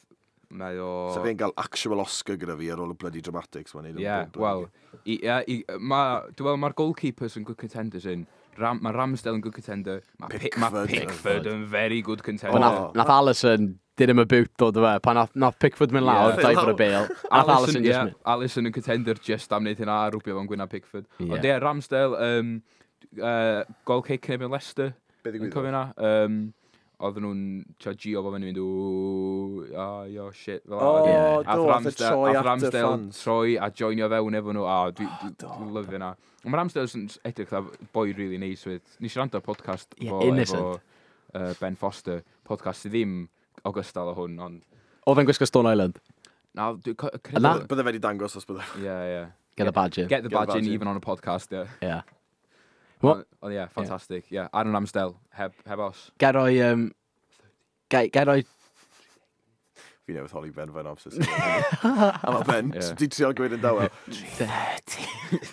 mae o... So fe'n gael actual Oscar gyda fi ar ôl y bloody dramatics mae'n neud. yn Ie, bob bloody wel, game. dwi'n meddwl mae'r goalkeepers yn good contenders yn. Mae Ramsdale yn good contender. Mae Pickford. Pickford yn very good But contender. nath, Oh. nath Alisson Did him a boot dod o fe. Pan nath Pickford mynd lawr, dive for y Bale. A nath Alisson just mynd. Alisson yn contender just am wneud hynna a rwbio fo'n gwyna Pickford. Ond ie, Ramsdale, goal kick yn erbyn Leicester. Be Yn ddigwyddodd? cofio hynna? Oedden nhw'n trio gio fo fyny mynd, ww, oh, yo, shit. Fel O, yeah. do, ath e troi at y Ramsdale fans. troi a joinio fewn efo nhw, a dwi'n lyfio hynna. Ond mae Ramsdale yn edrych fatha boi really nice with. Nes i rando ar podcast Yeah, fo innocent. efo Ben Foster, podcast sydd ddim ogystal o hwn, ond... Oedd e'n gwisgo Stone Island. Na, dwi'n credu... Na? Bydde fe wedi dangos os bydde. Yeah, yeah. Get the badge in. Get the Get the badge in badge in. even on a podcast, yeah. Yeah. What? Ond yeah, fantastic. Yeah, Aaron Ramsdale, heb os. Gai roi... Gai roi... Fi newydd holi Ben fe'n amser. A mae Ben, Ie. di trial gweud yn dawel. 30.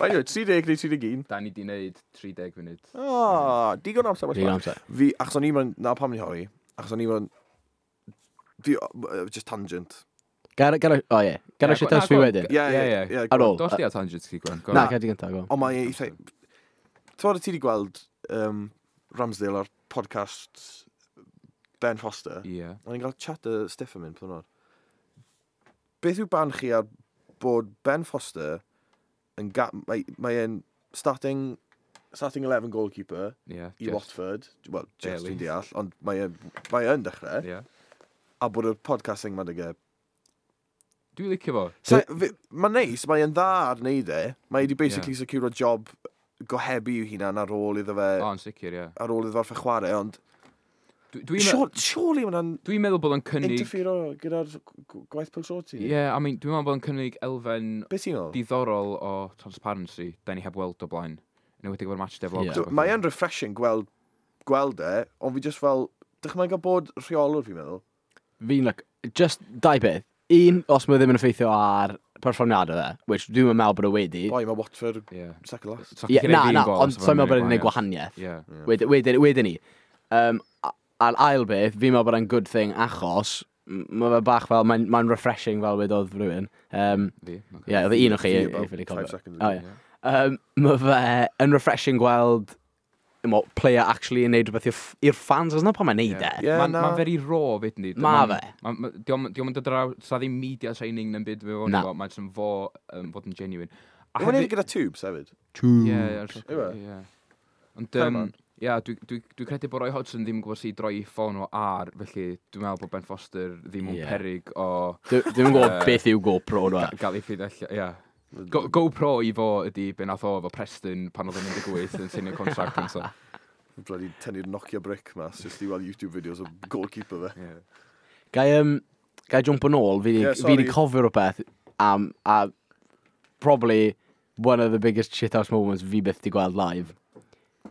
By the way, 30 neu 31. Da ni di wneud 30 munud. O, digon o amser. Digon o amser. Fi, achos o'n i'n mynd, na pam ni holi, achos o'n i'n mynd, fi, just tangent. Gai roi... O ie. Gai roi Ie, shit house fi na, go on. wedyn. Ie, Ie, ie, ie. ie. Ar ôl. Dos di ar tangent ti, Gwen. Go Na, on. gai di gyntaf, go on. Ond mae eitha... Ti'n bod ti wedi gweld Ramsdale ar podcast Ben Foster? Ie. O'n i'n cael chat y Stiff yn mynd, pan o'n. Beth yw barn chi ar bod Ben Foster yn mae e'n starting 11 goalkeeper Ie. i just Watford. Wel, just Barely. fi'n deall, ond mae e'n dechrau. Ie. A bod y podcasting ma'n dyge. Dwi'n licio fo. Mae'n neis, mae e'n dda ar wneud e. Mae wedi basically yeah. secure job gohebu i'w hunan ar ôl iddo fe, O, yn sicr, ie. ar ôl iddo fe orffen chwarae, ond Dwi'n surely mae'n dwi meddwl bod o'n cynnig... interfero gyda'r gwaith pêl-droed ti. Ie, I mean, dwi'n meddwl bod o'n cynnig elfen Be ti'n meddwl? diddorol o transparency da ni heb weld o blaen. Yn enwedig efo'r match day vlogs. Ie. a pethe. Mae e'n refreshing gweld e, ond fi just fel, dychmyga bod rheolwr fi'n meddwl. Fi'n like, just dau beth. Un, os mae ddim yn effeithio ar perfformiadau fe, which dwi'n meddwl bod o wedi. Boi, mae Watford Ie. second last. So, Ie, chdi na, gneud na, un gol, ond so so'n fo'n meddwl bod e'n gwneud gwneud gwahaniaeth. Ie. Wedyn ni. A'r ail beth, fi'n meddwl bod e'n good thing achos mae fe bach fel, mae'n refreshing fel wedodd rhywun. Fi. ocê. Ie, oedd e un o chi, Fi i about ffili five cofio. seconds O, ago. ie. Mae fe yn refreshing gweld mo, player actually yn neud rhywbeth i'r fans, os na pan mae'n neud e. Ie, Mae'n na. ma very raw fyd ni. Ma fe. Diolch yn dod draw, sa ddim media training na'n byd fe Na. Mae'n jyst yn fo, fod yn genuine. A Mae'n neud gyda tubes hefyd. Ie, Yw e? ie. Ond, Come on. ie, dwi credu bod Roy Hodgson ddim yn gwybod sut i droi ffôn o ar, felly dwi'n meddwl bod Ben Foster ddim yn Ie. peryg o Dwi'n gwybod Yy, beth yw GoPro nhw. gael ei ffeid allan, ie. GoPro i fo ydi be nath o efo Preston pan oedd o'n 18 yn seinio contract yn so. Bloody tynnu'r Nokia brick mas, just i weld YouTube videos o goalkeeper fe. Ie. Gai jump yn ôl, fi Ie, yeah, sorry. di cofio rhywbeth am, a probably one of the biggest shithouse moments fi byth di gweld live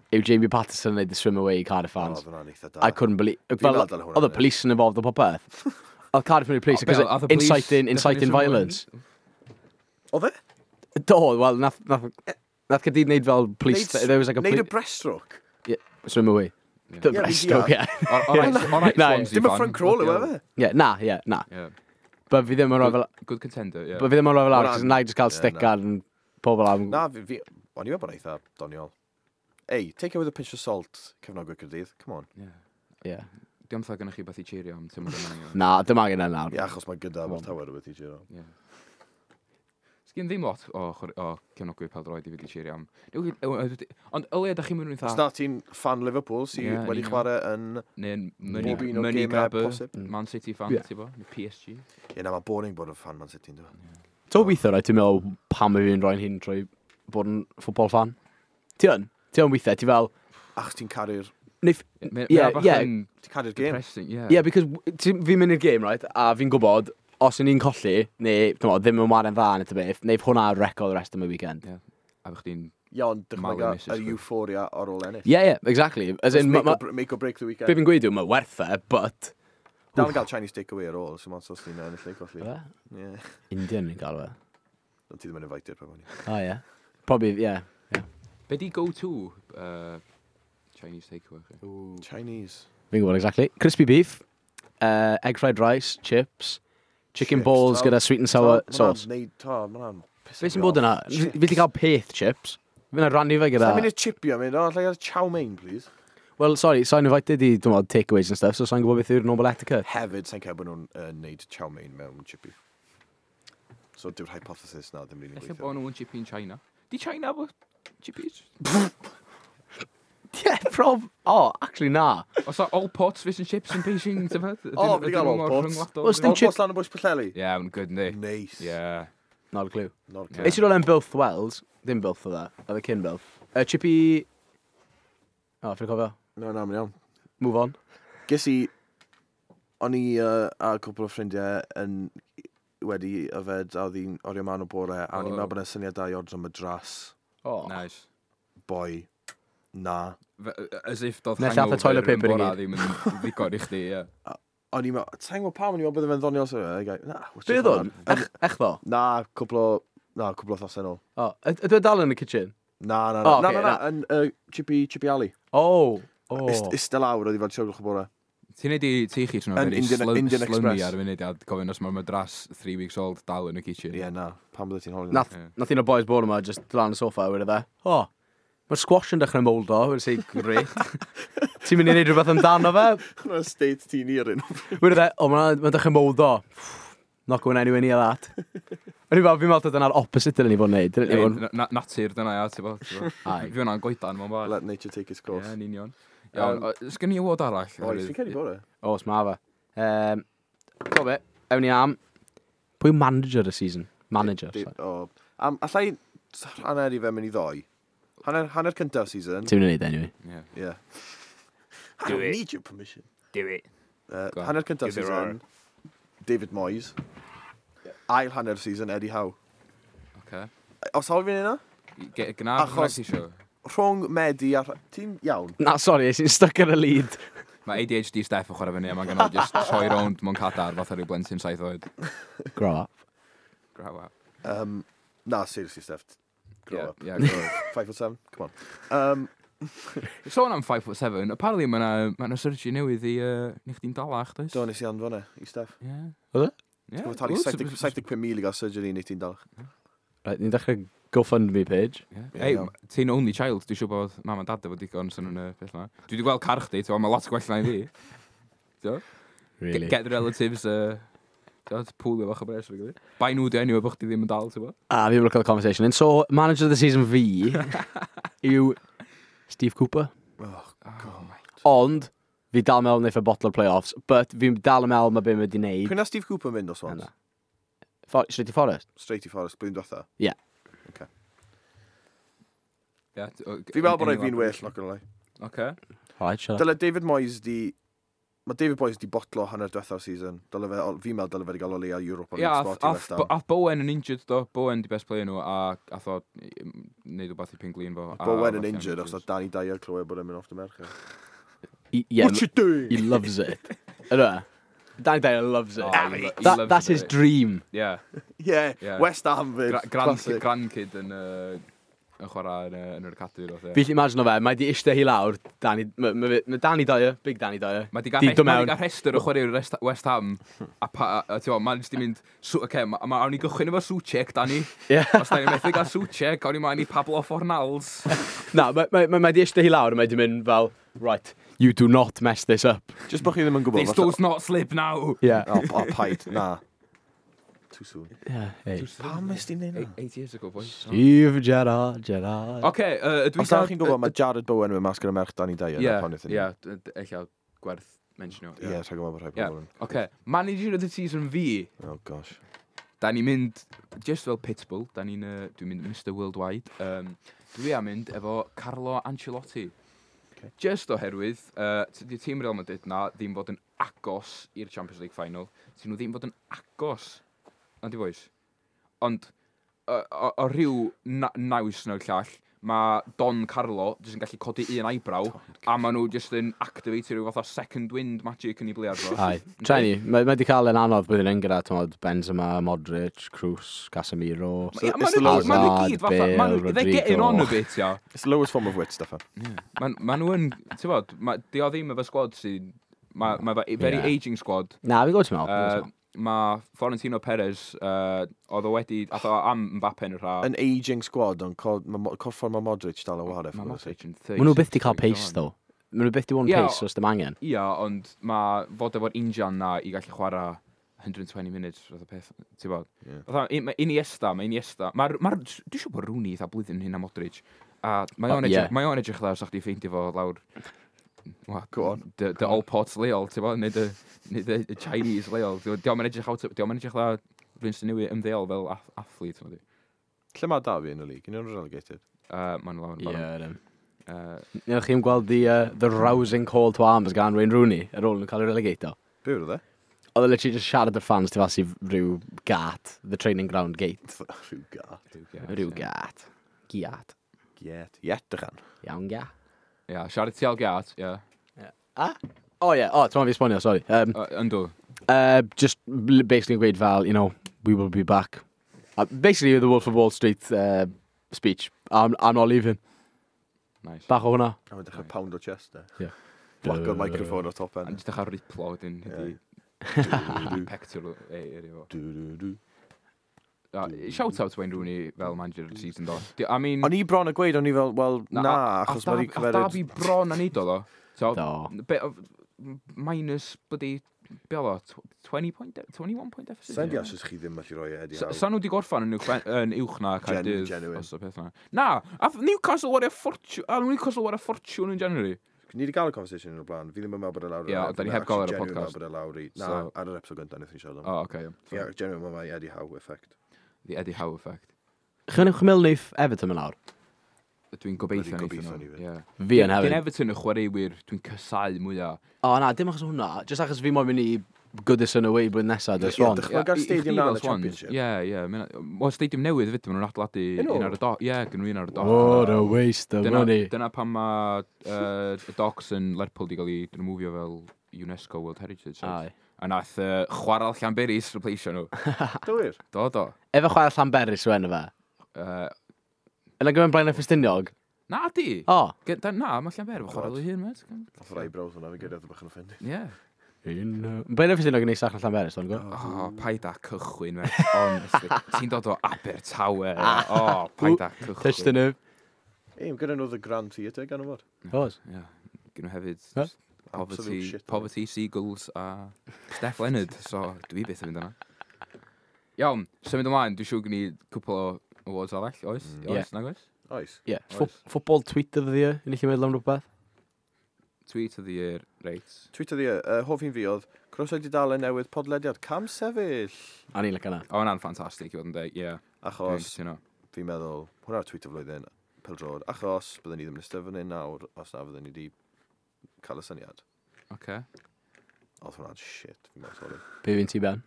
yw Jamie Patterson yn neud the swim away i Cardiff O, fans. oh, fyna'n eitha da. I couldn't believe... Fi'n Fel, meddwl hwnna, oedd y ie. police yn involved o popeth. Oedd Cardiff yn y police, O, because be, oedd y police inciting, inciting definition o violence. Oedd e? Do, wel, nath Caerdydd neud fel police... There was like a Neud y police... breaststroke. Swim away. Ie. The Ie, fi breaststroke, deall. ie. Alright, Na, Swansea Dim y fan. front crawl yw e fe? Ie, na, ie, na. Ie. But fi ddim yn rhoi fel... Good contender, ie. But fi ddim yn rhoi fel lawr, Hwnna'n- cos na i just cael ie, stick na. ar pobl am... Na, fi, o'n i'n meddwl bod o'n eitha doniol. Ei, take it with a pinch of salt, cefnogwyr Caerdydd. Come on. Ie. Ie. Diolch yn gennych chi beth i cheerio am tymor yma. anyway. Na, dim angen yna nawr. Ie, achos mae gyda Abertawe rhywbeth i cheerio. Ie. Sgyn ddim lot o cefnogwyr pêl-droed i fi di cheerio am. Ond o leia, da chi'n mynd yn Os eitha... na ti'n fan Liverpool sydd Ie, yn wedi union. chwarae yn... Neu'n Bob un o'r money gemau grabber, posib. Man City fan, Ie. ti bo? Neu PSG. Ie, na, mae'n boring bod yn fan Man City, ynddo. Ti'n weithio, right, ti'n meddwl pam y fi'n rhoi'n hun trwy bod yn football fan? Ti yn? Ti yn weithiau, ti fel... Achos ti'n caru'r... Neith, Ie, ie. Ti'n caru'r gêm. Depressing, ie. yeah, because fi'n mynd i'r game, right, a fi'n gwybod, os ydyn ni'n colli, neu t'mo, ddim yn ware'n dda neu ta beth, neu hwnna record the rest of my weekend. Ie. A fych chdi'n... Ie, ond dychmyga Malu missus yr chdi. euphoria ar ôl ennill. Yeah, yeah, exactly. As in, make, ma, or break the weekend. be fi'n gweud yw, mae werth e, but... Dal yn gael Chinese takeaway ar ôl, so mae'n os ti'n ennill neu colli. Ie? Ie. Indian ni'n gael fe. Ond ti ddim yn invited, probably. Oh, yeah. Probably, yeah. Be di go-to Chinese takeaway chi? Chinese. Fi'n gwybod exactly. Crispy beef, egg fried rice, chips, chicken Chips, balls tal- gyda sweet and sour sauce. Ta, ma' hwnna'n Be sy'n bod yna? Fi wedi cael peth chips. Fi'n rannu fe gyda... Sa'n mynd i'r chipio, mynd, o, allai gael chow mein, please. Well, sorry, so'n invited i, dwi'n meddwl, takeaways and stuff, so so'n gwybod beth yw'r normal etiquette. Hefyd, sa'n cael bod nhw'n neud chow mein mewn chippy. So dyw'r hypothesis na ddim rili'n Ella gweithio. bod nhw'n chippy in China. Di China bo chippies? Yeah, prob... Oh, actually, na. Os o all pots fish and chips in Beijing, ti'n fed? O, fi 'di gael all pots. Wel, sdim All chip- pots lan o bwys Pwllheli? Yeah, mae'n good, yndi? Nice. Yeah. Not a clue. Not a Yeah. clue. Nes i roel yn Builth Wells, ddim Builth oedd e, oedd e cyn Builth. Chippy... Oh, fi'n cofio. No, na, mae'n iawn. Move on. Ges i, o'n i a cwpl o ffrindiau yn wedi yfed a oedd hi'n orio man o bore, a o'n i'n Oh. meddwl bod yna syniad da i ordro madras, Oh. Nice. boi, na. As if doedd Neu llath y toilet hangover yn paper i bora gyd. ddim yn ddigon i chdi, ie. O'n i'n meddwl, sa'n gwybod pam, o'n i'n meddwl bydde fe'n ddoniol. So, na, what's Be oedd hwn? Ech ddo? Na, cwpl o, na, cwpl o thosau nôl. Oh, ydw e dal yn y kitchen? Na, na, na, Oh, na, ocê, na, na, yn Chippy, Chippy Alley. Oh. Oh. Ista lawr, oedd i fel 3 o bore. Ti'n neud i ti chi trwy Yn very Indian slummy Express. ar y munud a gofyn os mae'r madras 3 weeks old dal yn y kitchen. Ie, na, pam bydde ti'n holi? Nath, Ie. nath un o'r boys bod yma, just lan y soffa, wedi dde. Oh, mae'r squash yn dechrau moldo, wedi say, great. Ti'n mynd i wneud rhywbeth amdano fe? Hwna'n state ti'n i'r un. Wedi dde, oh, mae'n ma dechrau moldo. Not going anywhere near that. O'n i fel, fi'n meddwl dyna'r opposite dylen ni fod yn neud. Dylen ni Ei, fod yn- Natur dyna, ia, ti'n bod? Aye. Fi hwnna'n goedan mewn bar. Let nature take its course. Ie, yn union. Iawn, sgen i award arall? Oes, fi'n credu bod e. Oes, ma fe. To be, ewn ni am... Pwy yw manager y season? Manager, sorry. O, am, allai hanner i fe mynd i ddoi. Hanner cyntaf season. Ti'n mynd i neud anyway. Ie. Yeah. I Do don't it. need your permission. Do it. Go on. Hanner cyntaf Give it season, David Moyes. Ail hanner season, Eddie Howe. Oce. Os hawl fi'n yna? Gna, Achos- ti isio. Rhwng Medi a... Ti'n iawn? Na, sorry, es i'n stuck ar y lead. Mae ADHD Steph yn chwarae fyny a mae'n gynnu just troi rownd mewn cadar fatha rhyw blentyn 7 oed. Grow up. Grow up. Na, seriously, Steph. Grow Yeah, up. yeah, grow up. 5'7", come on. Sôn am 5'7", apparently mae yna ma surgery newydd i ni chdi'n dalach, does? Do, nes i anfon e, i Steph. Ie. Oedd e? Ie. Ti'n talu Wel, 75,000 i gael surgery neu ti'n dalach. Right, ni'n dechrau GoFundMe page. Ie. Ie, Ei, iawn. ti'n only child, dwi'n siŵr bod mam a dad efo digon sy'n nhw'n y peth yma. Dwi wedi gweld car chdi, ti'n gwbod, mae lot gwell na i fi. Ti'n gwbod? Really? Get the relatives, ti'n pwlio fach o bres. Fi gilydd. Bai nhw di enw bod chdi ddim yn dal, ti'n gwbod? Ah, fi'n look at the conversation. And so, manager of the season fi yw Steve Cooper. Oh, Oh my. Ond, fi dal yn meddwl wneud e botlo'r playoffs, but fi'n dal yn meddwl mae be mae wedi wneud. Pryd na Steve Cooper mynd o Swans? Na. Straight i Forest? Straight i Forest, blwyddyn diwetha. Ie. Yeah, Fi'n meddwl bod rhaid fi'n well, not gonna lie. Oce. Alright, shut up. Dyle David Moyes di... Mae David Moyes di botlo hanner diwetha'r season. Dyle fe, fi'n meddwl dyle fe di gael o leia Europa Ie, League ath, spot i ath, West Ham. ath Bowen yn injured do. Bowen di best player nhw a ath o neud rhywbeth i penglin fo. a Bowen yn falle injured achos oedd Danny Dyer clywed bod e'n mynd off dy merched. Yeah, What you doing? he loves it. Ydw e? Danny Dyer loves it. Oh, he loves That's it, his eh? dream. Yeah. Yeah, Yeah. West Ham fyd. Grandkid, Classic. grandkid yn chwarae yn yr academy. fath, ie. Fi'n gallu imagine o fe, mae di eistedd hi lawr, Danny, ma, ma Danny Dyer, big Danny Dyer. Mae di Di gael dod ma mewn. di gael rhestr o chwaraewyr West Ham, a, pa, a ti'n gwbod, mae'n jyst di mynd, oce, ma, awn ni gychwyn efo Soucek, Danny. Ie. Os da ni'n methu gael Soucek, awn ni mlaen i Pablo Fornals. Na, mae ma di eistedd hi lawr a mae di mynd fel, right, you do not mess this up. Just bod chi ddim yn gwybod. This does not slip now. Yeah. O, paid, na. Too soon. Yeah, hey. Pam nes ti'n neud na? 8 years ago, boys. Steve Gerrard, Gerrard. Oce, dwi'n Os da chi'n gwybod, mae Jared Bowen yn mynd mas gyda merch Danny Dyer. Ie, na pan wnaethon ni. ie, ella gwerth mentionio. Ie, rhaid gwybod bod rhai Ie, pobl yn. Oce, manager of the season fi, Oh gosh. da ni'n mynd, just fel Pitbull, da ni'n, dwi'n mynd Mr Worldwide, dwi am mynd efo Carlo Ancelotti. Okay. Just oherwydd, tydi tîm Real Madrid na ddim fod yn agos i'r Champions League final. Tyn nhw ddim fod yn agos, na di boys. Ond, o rhyw naws neu'r llall, mae Don Carlo jyst yn gallu codi un eyebrow, a maen nhw jyst yn activate rhyw fath o second wind magic yn ei bliad fo. Ai, Trenny, mae di cael yn anodd blwyddyn yn gyda, ti'n modd, Benzema, Modric, Kroos, Casemiro. Ie, It's ma' the nhw lowest- ma' nhw gyd fatha, ma' nhw, Bale, they're getting on a Rodrigo. bit, ia. It's the lowest form of wit, Stefan. Ma' nhw yn, ti'n bod, di o ddim efo squad sy'n, ma' efo very Ie. aging squad. Na, fi'n gwybod ti'n meddwl. Mae Florentino Perez, oedd o wedi, ath o am Mbappe yn yr ha. An ageing squad, ond corffor mae Modric dal o ware. Mae Modric yn Maen nhw byth di cael pace, though. Maen nhw byth di bod yn Ie, pace os dim angen. Ia, ond mae fod efo'r injan na i gallu chwarae 120 minutes, fath o peth, ti'n bod? Ie. Fatha, mae Iniesta, mae Iniesta, mae'r, ma dwi'n siŵr bod Rooney eitha blwyddyn hyn a Modric, a mae o'n O, edrych, ie. mae o'n edrych dda, sa chdi ffeindio fo lawr, wa, Go on. The all pots leol, ti'n bod, neu the Chinese leol, diolch yn edrych out, diolch yn edrych dda, rhywun sy'n newydd ymddeol fel athlete, ti'n bod. Lle mae Derby yn y league? Yn nhw'n relegated? Maen nhw lawr yn Ie, barod. ydyn. Newch chi'n gweld the rousing call to arms gan Wayne Rooney ar ôl nhw'n cael ei relegato. Be yw'r e? Oedd e literally just siarad i'r fans tu fas i rhyw gat, the training ground gate. Rhyw gat. Rhyw gat, Rhyw ie. gat. Giat. Giet. Iet, dychan. Iawn, gia. Ia, siarad ti al gat, ie. Ah? Oh, yeah. Oh, ti'n fi esbonio, sorry. Yndw. Just basically gweud fel, we will be back. Basically, the Wolf of Wall Street speech. I'm not leaving. Nice. Bach o hwnna. A mae'n dechrau pound o chest, e. Ie. Whack o'r microphone o top A end. jyst dechrau riplo wedyn, Ie. ydi pectoral area fo. Du, du, du. Shout out to Wayne Rooney fel manager of the season do. I mean... O'n i bron a gweud, o'n i fel, wel, na, achos mae wedi A cymeryd... Derby bron a neud o ddo. So, Do. be, minus bloody, be oedd o, 20 point, 21 point deficit? Sa'n deall os chi ddim allu rhoi e Eddie Howe. Sa nhw wedi gorffan yn uwch na Caerdydd. Genuine. Os o peth na. Na, a Newcastle wario ffortiwn, a Newcastle wario ffortiwn yn January. Ni wedi gael y conversation yn o'r blaen. Fi ddim yn meddwl bod e lawr. Ie, da ni heb gael ar y podcast. Genuine meddwl bod e lawr i... Na, ar yr episode gyntaf wnaethon ni siarad am. O, oce. Ie, genuine mae Eddie Howe effect. The Eddie Howe effect. Chi'n meddwl neith Everton yn lawr? Dwi'n gobeithio Bloody neithon gobeithio nhw. ni fyd. Ie. Fi yn Dyn hefyd. Everton y chwaraewyr dwi'n cysau mwyaf. O, na, dim achos hwnna. Just achos fi moyn mynd i Goodison away blwyddyn nesaf, dy Ie, Swans. dychmyga'r Ie, i stadium chdi na fel yn y Swans. Championship. Ie, ie. Wel, stadium newydd fyd, maen nhw'n adeiladu Yn un nhw? ar y doc. Ie, gyn nhw un ar y doc. What a waste of Dyna, money. dyna pam mae y docks yn Lerpwl di gael ei remofio fel UNESCO World Heritage Site. Aye. A nath chwarael Llanberis replaceio nhw. Dywir. Do, do. Efo chwarae Llanberis yw enw fe. Yna gyfer Blaenau Ffestiniog? Na di! O. Na, mae Llanber efo chwarael ei hun, met. Nath yr eyebrows hwnna, fi gyda bach yn offended. Ie. Blaenau Ffestiniog yn neisach na Llanberis, o'n gwybod? O, paid â cychwyn, mate. Honestly. Ti'n dod o Abertawe. O, paid â cychwyn. Touch the nerve. Ei, gyda nhw The Grand Theatre, gan o fod. Oes. Ie. Gyn nhw hefyd Huh? Poverty, Absolute shit. Poverty Seagulls a Steph Leonard, so dwi byth yn mynd yna. Iawn, symud ymlaen, dwi'n siŵr gen i cwpl o awards arall, oes? Mm. Oes, nag oes? Oes. Ie. Oes. Football tweet of the year, yn eich meddwl am rhywbeth? Tweet of the year, reit. Tweet of the year, hoff un fi oedd, croeso i dudalen newydd podlediad cam sefyll. A ni'n licio na. O, hwnna'n ffantastig i fod yn dweud, ie. Dwi'n Achos, cytuno. fi'n meddwl, hwnna'r tweet o flwyddyn, pêl-droed, achos byddwn ni ddim yn eistedd fan hyn nawr, os na fyddwn ni wedi cael y syniad. Oce. Oedd hwnna'n shit, fi'n meddwl, sorry. Be fi'n ti, Ben?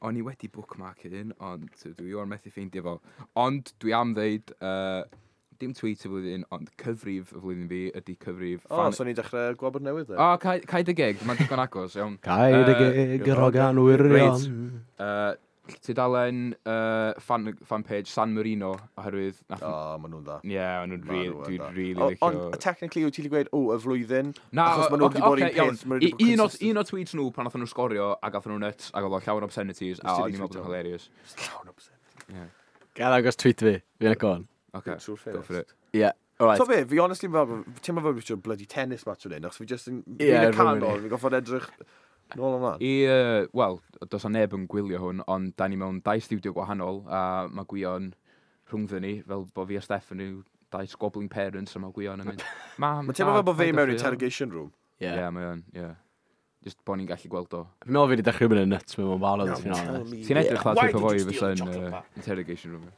O'n i wedi bookmark un, ond dwi o'r methu ffeindio fo. Ond dwi am ddeud, dim tweet y flwyddyn, ond cyfrif y flwyddyn fi ydy cyfrif... O, so ni'n dechrau gwabod newydd e? O, cau dy geg, mae'n digon agos, iawn. Cau dy geg, yr hogan wirion. Tudalen fan page San Marino, oherwydd... O, maen nhw'n dda. Ie, maen nhw'n Ma' nhw yn dwi'n dda. really O, licio... Ond, technically, wyt ti'n gweud, o, y flwyddyn, Na, achos maen nhw wedi bod ocê, un iawn. peth, maen nhw wedi bod consistent. Un o tweets nhw pan nathon nhw sgorio a gathon nhw nuts ac oedd o llawn obscenities a Nes ti o'n i'n meddwl bod retweetio? yn hilarious. Llawn obscenities. Yeah. Gael agos tweet fi, fi'n y con. Okay, Trwy'r go for it. Ie, alright. So be, fi honestly fel, teimlo fel fi bloody tennis match o'n hyn, achos fi just yn, Ie, fi'n y rhywun canol, i. fi'n goffod edrych nôl ymlaen. I, wel, does 'na neb yn gwylio hwn, ond da ni mewn dau studio gwahanol, a mae Gwion rhwngddyn ni, fel bod fi a Steff yn yw dau squabbling parents, a mae Gwion yn mynd, Mam, Mae'n teimlo fel bod fi paid â mewn ffrio." interrogation room. Ie. Ie, mae o'n, ie. Just bod ni'n gallu gweld o. Fi'n meddwl fi wedi dechrau mynd yn nuts mewn barod, os fi'n honest. Ti'n edrych fel Why type o did foi you steal fysa the yn chocolate bar? interrogation room.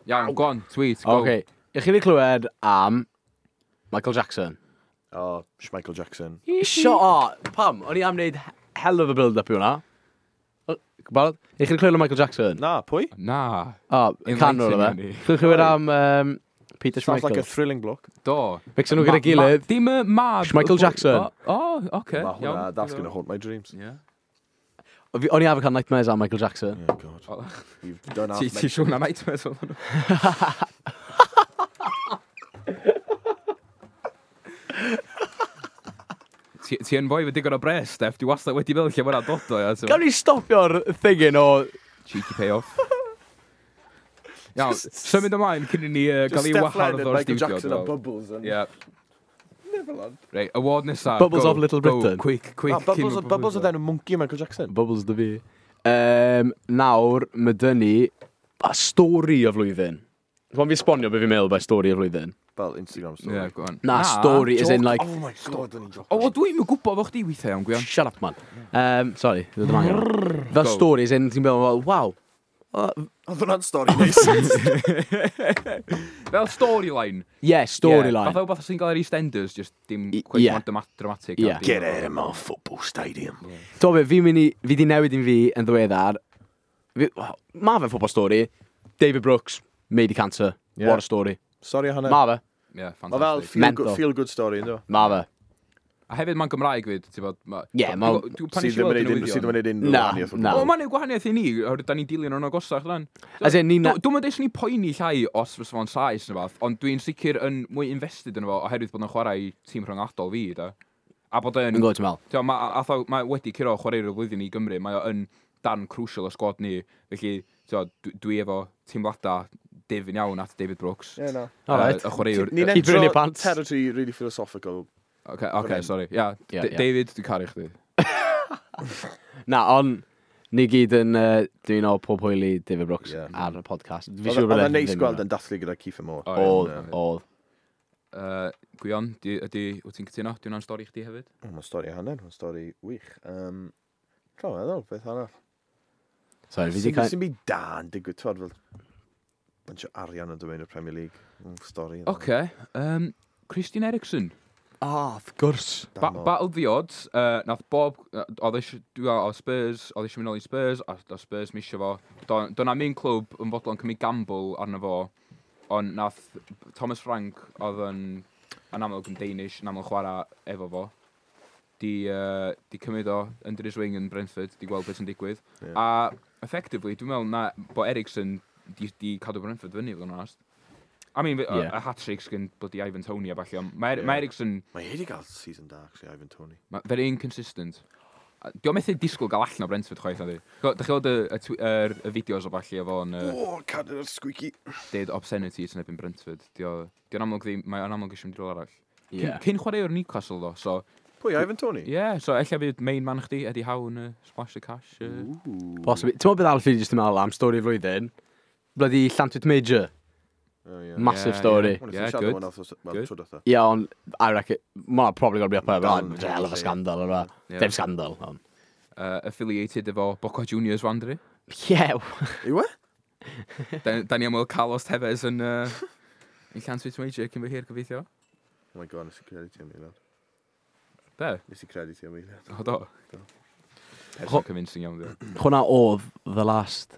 Iawn, go on, tweet, go. Oce, i chi wedi clywed am Michael Jackson. Oh, Michael Jackson. Sio, o, pam? O'n i am wneud hell of a build-up i hwnna. O, Barod? I chi wedi clywed am Michael Jackson? Na, pwy? Na. O, canwr o Enlighten fe. ni. Chi wedi clywed am Peter Sounds like a Schmeichel? thrilling bloke. Do. Mixon nhw gyda'i gilydd. Dim y mab. Michael Jackson. O, oce. Ma' hwnna, iawn. that's gonna haunt my dreams. Yeah. O'n i arfer cael nightmares am Michael Jackson. Oh, God. O. You've done half Ti siŵr na nightmares oedd hwnnw? Ti yn fwy efo digon o bres, Steff. Dwi wastad wedi meddwl lle mae hwnna'n dod o, ia. Gawn ni stopio'r thingyn o... Cheeky payoff. Iawn, symud ymlaen cyn i ni Just gael ei Steph wahardd Leonard, o'r Michael studio. Jackson a dwi'n meddwl. Bubbles and Ie. Never man. Reit, award nesa. Bubbles Go, of Little go, Britain. Quick, quick. Na, Bubbles, cyn- Bubbles oedd enw monkey Michael Jackson. Bubbles dy fi. Nawr, mae dyn ni a stori y flwyddyn. Dwi'n fi esbonio beth fi'n meddwl by stori y flwyddyn. Fel Instagram story. Yeah, go on. Na, story as in like... Oh my god, o'n i'n joc. O, wel, dwi'n yn gwybod fo chdi weithiau iawn, Gwion. Shut up, man. Sorry, ddod yma. Fel Go. story as in, ti'n meddwl, fel, wow. Oedd hwnna'n stori neis. Fel storyline. Yeah, storyline. Yeah, fatha wbath sy'n gael ar EastEnders, just dim quite ie. mor dramatic. Ie. a dim- Get out of my football stadium. Ti'n be, fi'n mynd i, fi di newid un fi yn ddiweddar. Fi, ma fe football story. David Brooks, made i cancer. Yeah. What a story. Sorry o hwnna. Ma fe, Yeah, Mae fel fantastic. feel Mental. good, feel good story, ynddo? ma fe. A hefyd mae'n Gymraeg fyd, ti'n bod... Ie, ma- Pan Sydd nes i ddim weld yn y neud unrhyw- sydd ddim newyddion... yn neud unrhyw Na, wahaniaeth o na. gwbl. O, mae'n neud gwahaniaeth i ni, oherwydd da ni'n dilyn o'n agosach, lan. As in, ni'n... Dwi'n mynd eisiau ni poeni llai os fysa fo'n Sais neu fath, ond dwi'n sicr yn mwy invested yn fo oherwydd bod yn chwarae i tîm rhyngwladol fi, da. A bod yn... Yn gwybod ti'n meddwl. Ti'n ma, atho, mae wedi curo chwarae'r y flwyddyn i Gymru, mae o yn dan crucial o sgwad ni, felly ti'n dwi efo teimladau difyn iawn at David Brooks. Ie, na. Alright. Y chwaraewr. Ni'n Keep it in your entro pants. territory really philosophical. Okay, okay, hyn. sorry. Yeah, Ie, ie. David, dwi'n caru chdi. Na, ond ni gyd yn dwi'n o pob hwyl i David Brooks Ie. ar y podcast. Fi Oedd siŵr bod oedd e e'n neis ddim gweld yna. yn dathlu gyda Kiefer Moore. O, ie. Oedd, oedd. Gwion, ydy, wyt ti'n cytuno? Di hwnna'n stori chdi hefyd? O, Mae'n stori hanner, mae'n stori wych. Tra meddwl, beth arall. Sorry, fi di Sy'n cael... sy'n byd da yn digwydd, twad, fel bunch o arian yn dod mewn i'r Premier League. Stori. yna. Oce. Christian Eriksen. Ah, of gwrs. Damo. Battle the odds, nath Bob, oedd eisiau, dwi'n meddwl, oedd Spurs, oedd eisiau mynd nôl i Spurs, a oedd Spurs misio fo. Do na un clwb yn fodlon cymryd gamble arno fo, ond nath Thomas Frank, oedd yn, yn amlwg yn Danish, yn amlwg chwarae efo fo, di cymryd o under his wing yn Brentford, di gweld beth sy'n digwydd. Ie. A effectively, dwi'n meddwl na bod Eriksen di cadw Brentford fyny, fod yn onest. I mean, Ie. yeah. a hat-trick sgyn bloody Ivan Toney a falle, ond mae Ie. yeah. Eriksen Mae hi wedi cael season da, actually, Ivan Toney. Mae very inconsistent. Di o'n methu disgwyl gael allan o Brentford chwaith na di. Dych chi weld y fideos o falle efo yn O, cadw yr squeaky. deud obscenities yn erbyn Brentford. Di o'n amlwg ddim, mae o'n amlwg eisiau mynd i rôl arall. Ie. Cyn chwaraewr Newcastle ddo, so, Pwy, Ivan Toney? yeah, so ella fydd main man chdi, Eddie Howe yn splash the cash. Ooh. Possibly. Ti'n meddwl beth arall fi jyst yn meddwl am stori y flwyddyn? Bloody Llantwit Major. Oh, yeah. Massive Yeah, story. yeah. Wel, Yeah, yeah, good. good. Well, Good. tro dwetha. Ie, ond I reckon, ma' probably got to be up there, Dal but yn hell of a lle. scandal, yna. Yeah. Dim scandal, ond. Affiliated efo Boca Juniors Wandry. Yeah, Yw e? Da ni am weld Carlos Tevez yn Llantwit Major cyn fy hir gobeithio. Oh my god, nes i credu ti am eiliad. Be? Nes i credu ti am eiliad. O do. Do. Person convincing iawn, di. Hwna oedd the last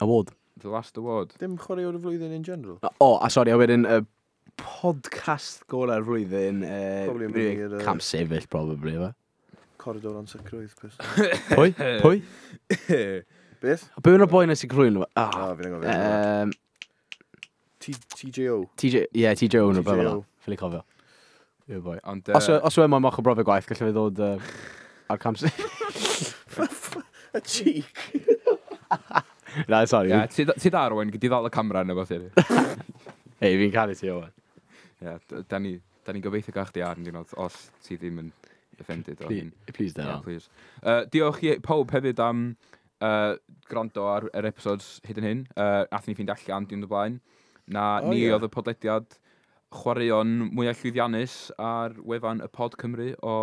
award. The last award. Dim chwaraewr y flwyddyn in general. O, a sori, a wedyn y podcast gorau'r flwyddyn. Probably yn mynd i'r, Cam sefyll, probably, efe. Corridor ansicrwydd, person. Pwy? Pwy? Beth? Be yw'n y boi nes i cyflwyno? Ah, Ah, fi'n anghofio. TJO. TJ, ie, TJ Owen, rhywbeth fel TJO. 'na. Ffili cofio. Yw'r boi. Ond, Os yw e moyn moch o brofiad gwaith, gallai fe ddod ar cam sefyll. A cheek. Na, sorry. Ie, ti da, Owen, gyd i ddal y camera neu beth. Ei, fi'n caru ti, Owen. Ie, da ni, da ni'n gobeithio gael chdi ar yn diwrnod, os ti ddim yn offended o hyn. Please, Yeah, don't. please. Diolch i pawb hefyd am gwrando ar yr episodes hyd yn hyn. Nathon ni ffeindio allan diwrnod o blaen. Na O, ni ie. oedd y podlediad chwaraeon mwyaf llwyddiannus ar wefan y Pod Cymru o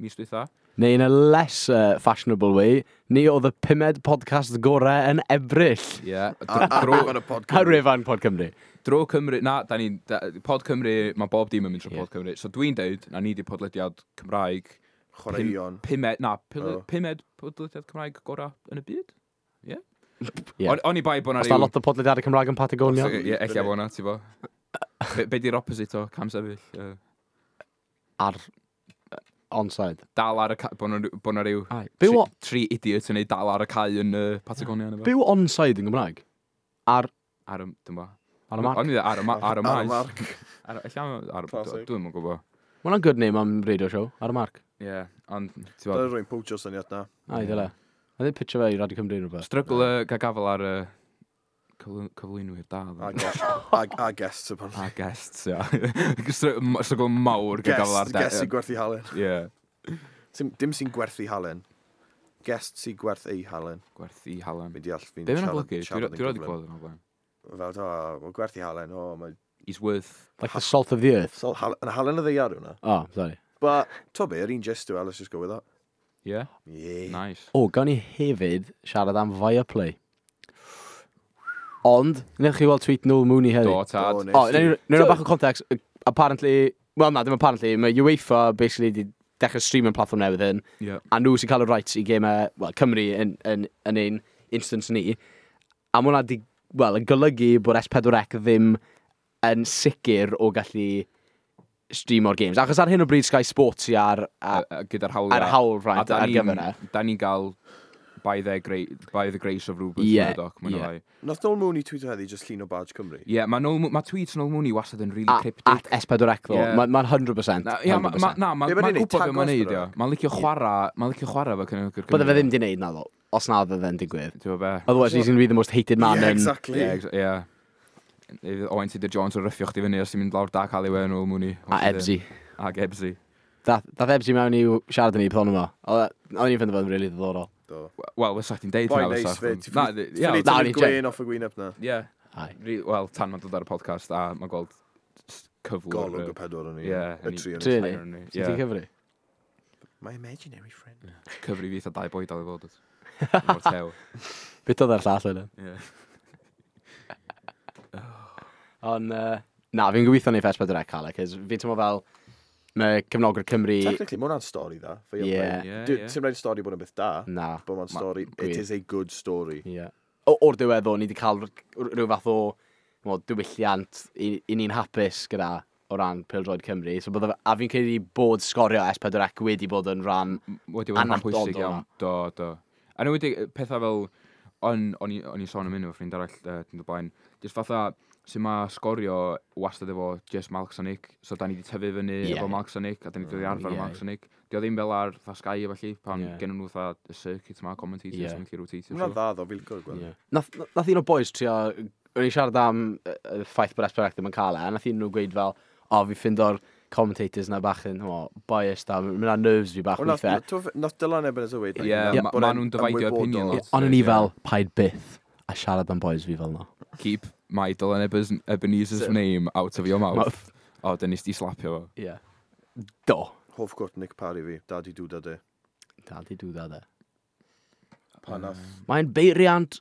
mis dwytha. Neu in a less fashionable way, ni oedd y pumed podcast gorau yn Ebrill. Ie. Ar wefan y Pod Ar Cymru. wefan Pod Cymru. Dro Cymru, na, da ni'n, Pod Cymru, mae bob dim yn mynd trwy Ie. Pod Cymru. So dwi'n deud, na ni di podlediad Cymraeg Chwaraeon. Pumed, na, Oh. pumed podlediad Cymraeg gorau yn y byd? Ie. Ie. Oni bai bod na Os da lot o podlediadau Cymraeg yn Patagonia. Ie, ella bod na, ti bo. Be di'r opposite o cam sefyll? Ar onside. Dal ar y ca... Bod na ryw... Ai. Byw, Tri idiot yn ei dal ar y cae yn Patagonia. neu be? byw onside yn Gymraeg? Ar, Ar y... Dwi'n bo. ar y marc. O'n i ddeud ar y ar y Ar y maes. marc. Ar y... Ella ar y... Classic. Dwi'm yn gwybod. Ma' hwnna'n good name am radio show, ar y marc. Ie, ond... Ti'n Dyna bod... rwy'n poachio syniad na. Ai, dyle. A ddim pitcho fe i Radio Cymru neu rhywbeth. Struggle gael gafel ar y Cyflwynwyr da. A, ddo. guest, a guests, apparently. A guests, ia. Struggle mawr gyda gael ar Guest, guest sy'n gwerthu halen. Ie. Dim sy'n gwerthu halen. Guest sy'n gwerth ei halen. Gwerthu halen. Fi'n deall, fi'n Be fe'n siarad- golygu? siarad yn Dwi'n rhaid i gyflym. clywed yn o'r blaen. Fel, o, mae gwerthu halen, o, mae... He's worth... Like the salt of the earth. Sol, halen, yn halen y ddaear hwnna. Oh, sorry. But, to be, yr un gist yw e, let's just go with that. Yeah, Yeah. nice. O, gawn ni hefyd siarad am Viaplay. Ond, newch chi weld tweet Noel Mooney heddi? Do, tad. Do, nes O, i. newn ni bach o context. Apparently, well na, dim apparently, mae UEFA basically di dechrau streaming platform newydd hyn, Yeah. a nhw sy'n cael y rights i gemau, well, Cymru yn ein instance ni. A mae hwnna di, well, yn golygu bod S4C ddim yn sicr o gallu streamo'r games. Achos ar hyn o bryd Sky Sports sy ar, ar, Gyda'r hawliau. ar hawl right, da ar ni'n- gyfer e. Da ni'n gael by, their by the grace of Rupert Ie, Murdoch, mwy ie. na lai. Nath Noel Mooney tweeto heddi just llun o badge Cymru. Ie, mae ma tweets Noel Mooney wastad yn really cryptic. At S4C ddo. Ie. Mae'n ma 100%. Na, ie, 100%. na, Be ma' ma'n neud, gwybod beth tag mae'n neud, S4C? ie. Mae'n licio chwarae, mae'n licio chwarae fo cefnogwyr Bydde fe ddim di neud na ddo, os na fydde fe'n digwydd. Ti'n gwybod be? Otherwise he's going to be the most hated man Yeah, in... exactly. Ie, ie. Owain Tudur Jones o ryffio chdi fyny os ti'n mynd lawr dark alleyway yn ôl Mooney. A Ebsy. Ag Ebsy. Dath Ebsy mewn i siarad yn ni pethon yma. Oedd ni'n ffeindio fo'n really ddiddorol. Do. Wel, fysa chdi'n deud Boi hynna neis fysa. fyd. Na, Ffili ie. Na, tynnu'r o'n i gwên off y gwyneb na. Ie. Aye. Wel, tan mae'n dod ar y podcast a mae'n gweld cyflwr. Golwg y pedwar o'n i. Ie, Y tri o'n i. Tri ni? o'n i. Sut ti'n Ie. cyfri? My imaginary friend. Cyfri fi eitha dau boi dal i fod. Mor tew. Beth oedd ar llall yna? Ie. Ond, na, fi'n gobeithio neith S4C cael e, cos fi'n teimlo fel mae cefnogwyr Cymru... Technically, mae hwnna'n stori dda. for your Ie. play. Ie, ie. Ti'n rhaid stori bod yn beth da, Na. but mae'n Ma- stori, it gwir. is a good story. Ie. O'r diwedd o, ni wedi cael rhyw fath o wel, diwylliant i ni'n hapus gyda o ran pêl-droed Cymru. So, bydde, a fi'n credu bod sgorio S4C wedi bod yn rhan... Wedi bod yn rhan Annatod pwysig o iawn. Do, do. A nhw wedi pethau fel, o'n i'n sôn am hyn efo ffrind arall, dyn blaen, jyst fatha, sy'n ma sgorio wastad efo just Malks a Nick, so da ni wedi tyfu fyny Ie. efo Malks a Nick, a da ni wedi arfer Ie. yeah. Malks a Nick. Di o ddim fel ar fatha Sky a felly, pan Ie. yeah. gen nhw fatha y circuit ma, commentators, Ie. yeah. yn gallu rotatio. Mae hwnna'n dda ddo, fi'n licio'r gweld. Yeah. Nath un o boys trio... O'n i'n siarad am y ffaith bod S4C ddim yn cael e, a nath un nhw gweud fel, o, fi ffindo'r commentators na bach yn, o, biased a mynd nerves fi bach Ond nath- weithiau. nath Dylan Ebenezer weud, like, Ie, bod ma e'n nhw'n dividio ymwybodol. opinion lot. Ond o'n i Ie. fel, paid byth a siarad am boys fi fel na. Keep my Dylan Ebenezer's So- name out of your mouth. Mouth. O, dyn nes di slapio fo. Ie. Do. Hoff quote Nick Parry fi, Daddy do that e. Daddy do that e. Pan nath, Mae'n beiriant.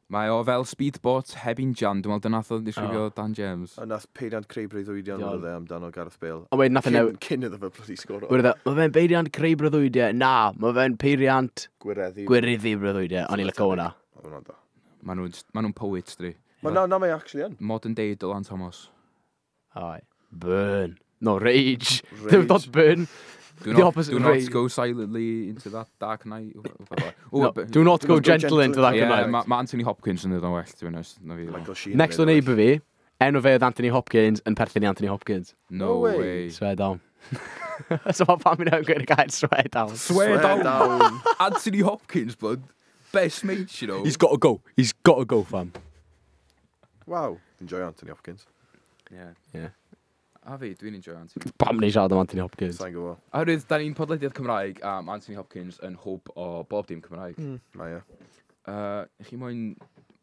Mae o fel speedboat heb injan, dwi'n meddwl dyna nath o ddisgrifio Oh. Dan James. a nath peiriant creu breuddwydion Iawn. oedd e amdano Gareth Bale. Ond wedyn nath e Cyn, newid. cyn iddo fe bloody sgoro. Wedyn e, mae fe'n beiriant creu breuddwydiau. Na, mae fe'n peiriant Gwireddu. gwireddu breuddwydiau. O'n i'n licio hwnna. Oedd hwnna'n dda. Maen nhw'n ma nhw poets, dri. Ma, na, na, mae actually yn. Modern day Dylan Thomas. Aye. Burn. No, rage. Rage. Dim dot burn. Do The not, opposite do of not rage. go silently into that dark night. Ooh, No, do not go gentle into that Yeah, night. ma Anthony Hopkins yn dod o'n well, to be honest. Na fi. Michael Sheen. Next door neighbour fi, enw fe oedd Anthony Hopkins yn perthyn i Anthony Hopkins. No No way. way. Swear down. So mae pam i'n gweud y gair swear down. Swear down. down. Anthony Hopkins, blood. Best mate, you know. He's got to go. He's got to go, fam. Wow. Enjoy Anthony Hopkins. Yeah. Yeah. A fi, dwi'n enjoy Anthony. Pam ni'n siarad am Anthony Hopkins? Sa'n gwybod. Oherwydd, da ni'n podlediad Cymraeg a mae Anthony Hopkins yn hwb o bob dim Cymraeg. Mae e. Chi moyn...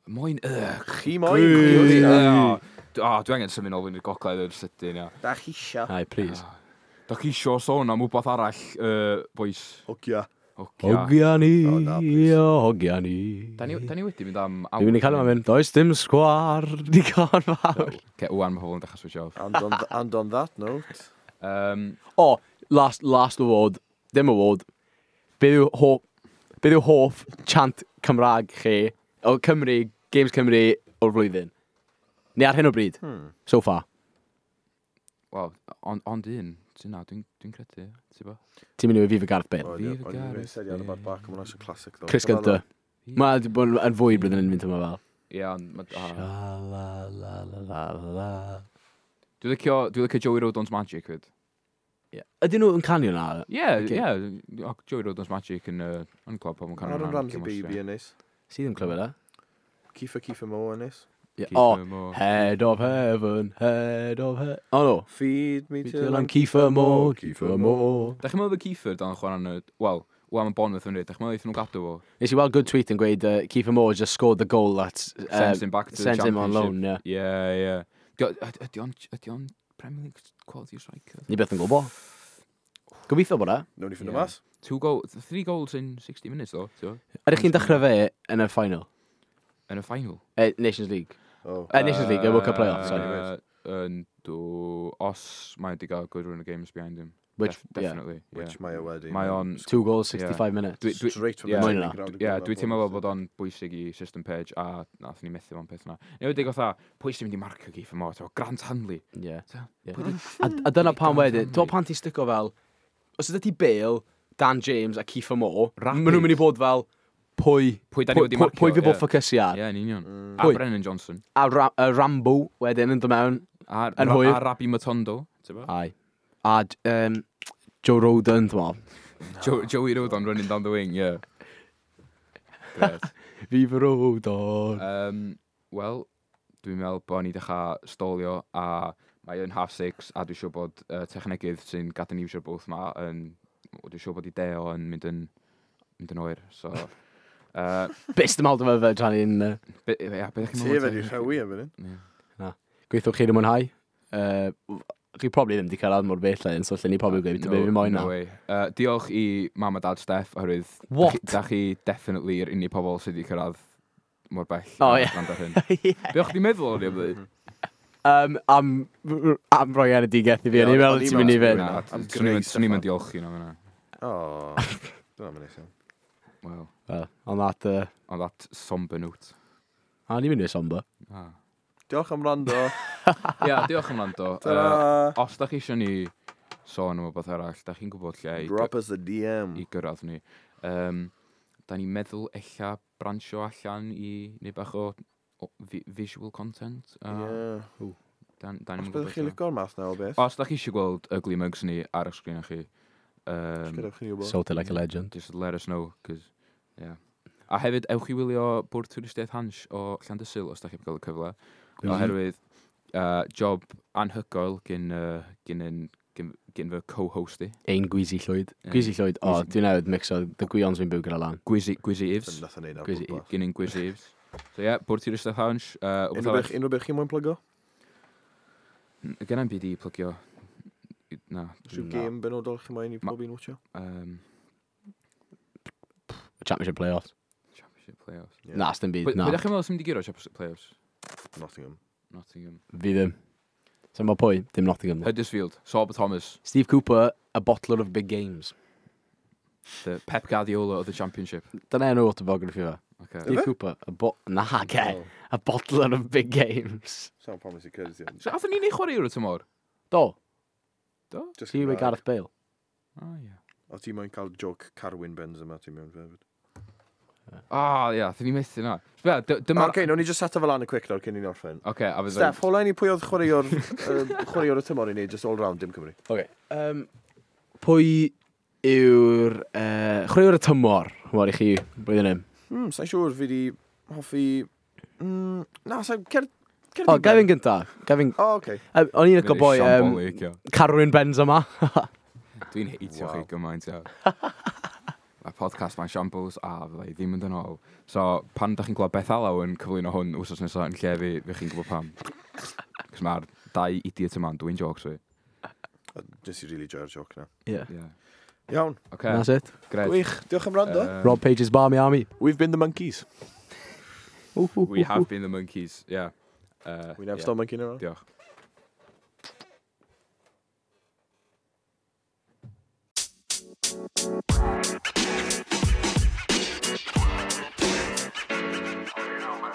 Moyn... Ugh. Chi moyn. Dwi Chi o, dwi angen symud nôl fynd i'r gogledd yn sydyn, ia. Da chi isio. Aye, please. Da chi isio sôn am wbath arall, boys? Hogia. Hogia. Hogia ni, O, na, please. o, hogia ni. Da ni wedi mynd am... Dwi'n mynd i cael yma mynd, does dim sgwar, digon fawr. Ce, wan mae pobl yn dechrau switch off. And on that note. O, last award, dim award. Beth yw hoff chant Cymraeg chi, o Cymru, Games Cymru o'r flwyddyn? Neu ar hyn o bryd, so far. Wel, ond un, ti'n na, dwi'n credu, ti'n bo? Ti'n mynd i fi fy Gareth Bale. O'n Fi i'n fy Gareth said ar y bad back, mae hwnna'n classic though. Chris Gunter. Mae wedi bod yn fwy blwyddyn yn mynd yma fel. Ie, ond... Sha la la la la la. Dwi'n licio Joey Rodon's Magic, fyd. Ie. Ydyn nhw yn canu hwnna? Ie, Ocê. ie, Joey Rodon's Magic yn clwb pobl yn canu Aaron hwnna. Ramsey Baby yn neis. Sydd ddim clywed e? Kiefer Kiefer Moore yn neis. Yeah. Kieffer Oh, Moore. Head of heaven, head of heaven. Oh no. Feed me Till I'm Kieffer Moore, Kieffer Moore. Da chi'n meddwl bod Kieffer dan chwarae yn y... Wel, wel, mae Bournemouth yn rhaid. Da chi'n meddwl eithon nhw gadw fo? Nes i weld good tweet yn gweud Kieffer Moore just scored the goal that Sends him back to the sends him on Championship. loan, yeah. Yeah, yeah. Ydy o'n Premier League quality striker? Ni beth yn gwybod. Gobeithio bod e. Nawn ni ffindo Yeah. mas. Three goals in 60 minutes, though. So, Ydych chi'n dechrau fe yn y final? yn y final. Nations League. Oh. Nations League, World Cup playoff, sorry. Yndw, os mae wedi cael good run of games behind him. Which, yeah. Definitely, yeah. Which mae o wedi. Mae o'n... Two goals, 65 minutes. Straight from yeah. the Mwy training na. ground. Yeah, dwi teimlo fel bod o'n bwysig i system page a nath ni methu fo'n peth na. Neu wedi gotha, pwy sy'n mynd i marcio Kieffer Moore? T'mo, Grant Hanley. Yeah. So, Yeah. pwy 'di- A dyna pam Grant wedyn, Hanley. ti'n pan ti'n stico fel, os ydy ti Bale, Dan James a Kieffer Moore, Rapid. maen nhw'n mynd i fod fel, pwy, Pwy da ni wedi marcio, pwy fi bod ie. ffocysu ar. Ie, yn union. A Pwy? Brennan Johnson. A Rambo wedyn yn dod mewn. A, Yn hwyr. a Rabbi Matondo. Ti'n bo? Ai. A Joe Roden, ti'n meddwl. Joey Rodon running down the wing, yeah. Gret. Viva Rodon. Wel, dwi'n meddwl bod ni dechrau stolio a mae yn 6:30 a dwi'n siŵr bod technegydd sy'n gadael ni iwsio'r bwth ma yn... Dwi'n siŵr bod i deo yn mynd yn oer, so... Bist ym aldo fe tra ni'n... Ia, be ddech chi'n Ti meddwl? wedi rhewi am hyn. Ie. Gweithio chi ddim mwynhau. Chi probably ddim wedi cyrraedd mor bell len, so lle ni probably gweud be fi moyn no na. way. Diolch i mam a dad Steff, oherwydd... What? Da chi definitely yr unig pobl sydd wedi cyrraedd mor bell. Oh, a ie. gwrando ar hyn. Ie. Be o'ch chi'n meddwl o'n i am ddweud? Am roi enedigaeth i fi, Ie, o'n i'n meddwl o'n i'n ti'n mynd i meddwl fynd. Na, Am swn Grace i'm yn Steffan. diolch i nhw fyna. O, dyna mae'n neis iawn. Wel, Well, on that, on that somber note. a ni'n mynd i'r somber. Ah. Diolch am rando. Ia, diolch am wrando. Ta-ra. Os da chi eisiau ni sôn am rhywbeth arall, da chi'n gwybod lle i, Drop us a DM. i gyrraedd ni. Da ni'n meddwl ella bransio allan i neu bach o visual content. Ie. Dan Os ni'n byddwch gwybod. chi'n lico'r math na o beth, Os da chi eisiau gweld ugly mugs ni ar y sgrin chi, gadewch chi wybod. Sorted like a legend. just let us know, cos, yeah. A hefyd, ewch i wylio Bwrdd Twristiaeth Hansh o Llandysul os da chi'n cael y cyfle. Oherwydd, job anhygoel gyn fy co-host i. Ein Gwizi Llwyd. Ie. Gwizi Llwyd, o, Gwizi- dwi'n newydd mixo the gwions fi'n byw gyda lan. Gwizi Eves. Nath o'n neud ar Gwizi- bwrpas. Gyn ein Gwizi Eves. So ie, yeah, Bwrdd Twristiaeth Hansh. Unrhyw beth chi moyn plygo? Gen i'm byd i plygio. Na. Rhyw Na. gêm benodol chi moyn i pob un watcho? Championship playoffs. Championship playoffs. Ie. Na, sdim byd, Pwy na. ydych chi'n meddwl sy'n mynd i guro Championship playoffs? Nottingham. Nottingham. Fi ddim. Sa'n bod pwy? Dim Nottingham. Huddersfield. Sorba Thomas. Steve Cooper, a bottler of big games. The Pep Guardiola of the Championship. Dyna enw autobiography fe. Okay. Steve Cooper, a bo... Na, ge. A bottler of big games. Sa'n pam nes i credu ti. So, athyn ni'n ei chwarae o'r tymor? Do, Do? Just ti yw Cymraeg. Gareth Bale. Ah, ie. O ti moyn cael joke Carwyn Benzema ti mewn hefyd. Ah, ie, athyn ni methu na. Be, dyma... Oce, nawn ni just set fel lan y quick nawr cyn i ni orffen. Oce, a fydda... Steff, hola i ni pwy oedd chwaraewr, chwaraewr y tymor i ni, just all round, dim Cymru. Okay. Pwy yw'r chwaraewr y tymor, mor i chi, blwyddyn hyn? Sa'n siŵr fi di hoffi... Na, sa'n... Cer... Cer O, gai fi'n gynta. Gai fi'n... O, oce. O'n i'n licio boi Carwyn Benzema. Dwi'n heitio chi Wow. gymaint, ia. Mae podcast mae'n shambles a fydda i ddim yn dod ôl. So, pan da chi'n clywed Beth Alaw yn cyflwyno hwn wsos nesaf yn lle fi, fi chi'n gwybod pam. Cos mae'r dau idiot yma'n dwi'n jokes fi. Nes i really joio'r joke na. Yeah. Yeah. Iawn. Oce, That's it. gret. Gwych, diolch am rando. Rob Page's Barmy Army. We've been the monkeys. We have been the monkeys, yeah. We never yeah. stop monkeying around. Diolch. You know, man.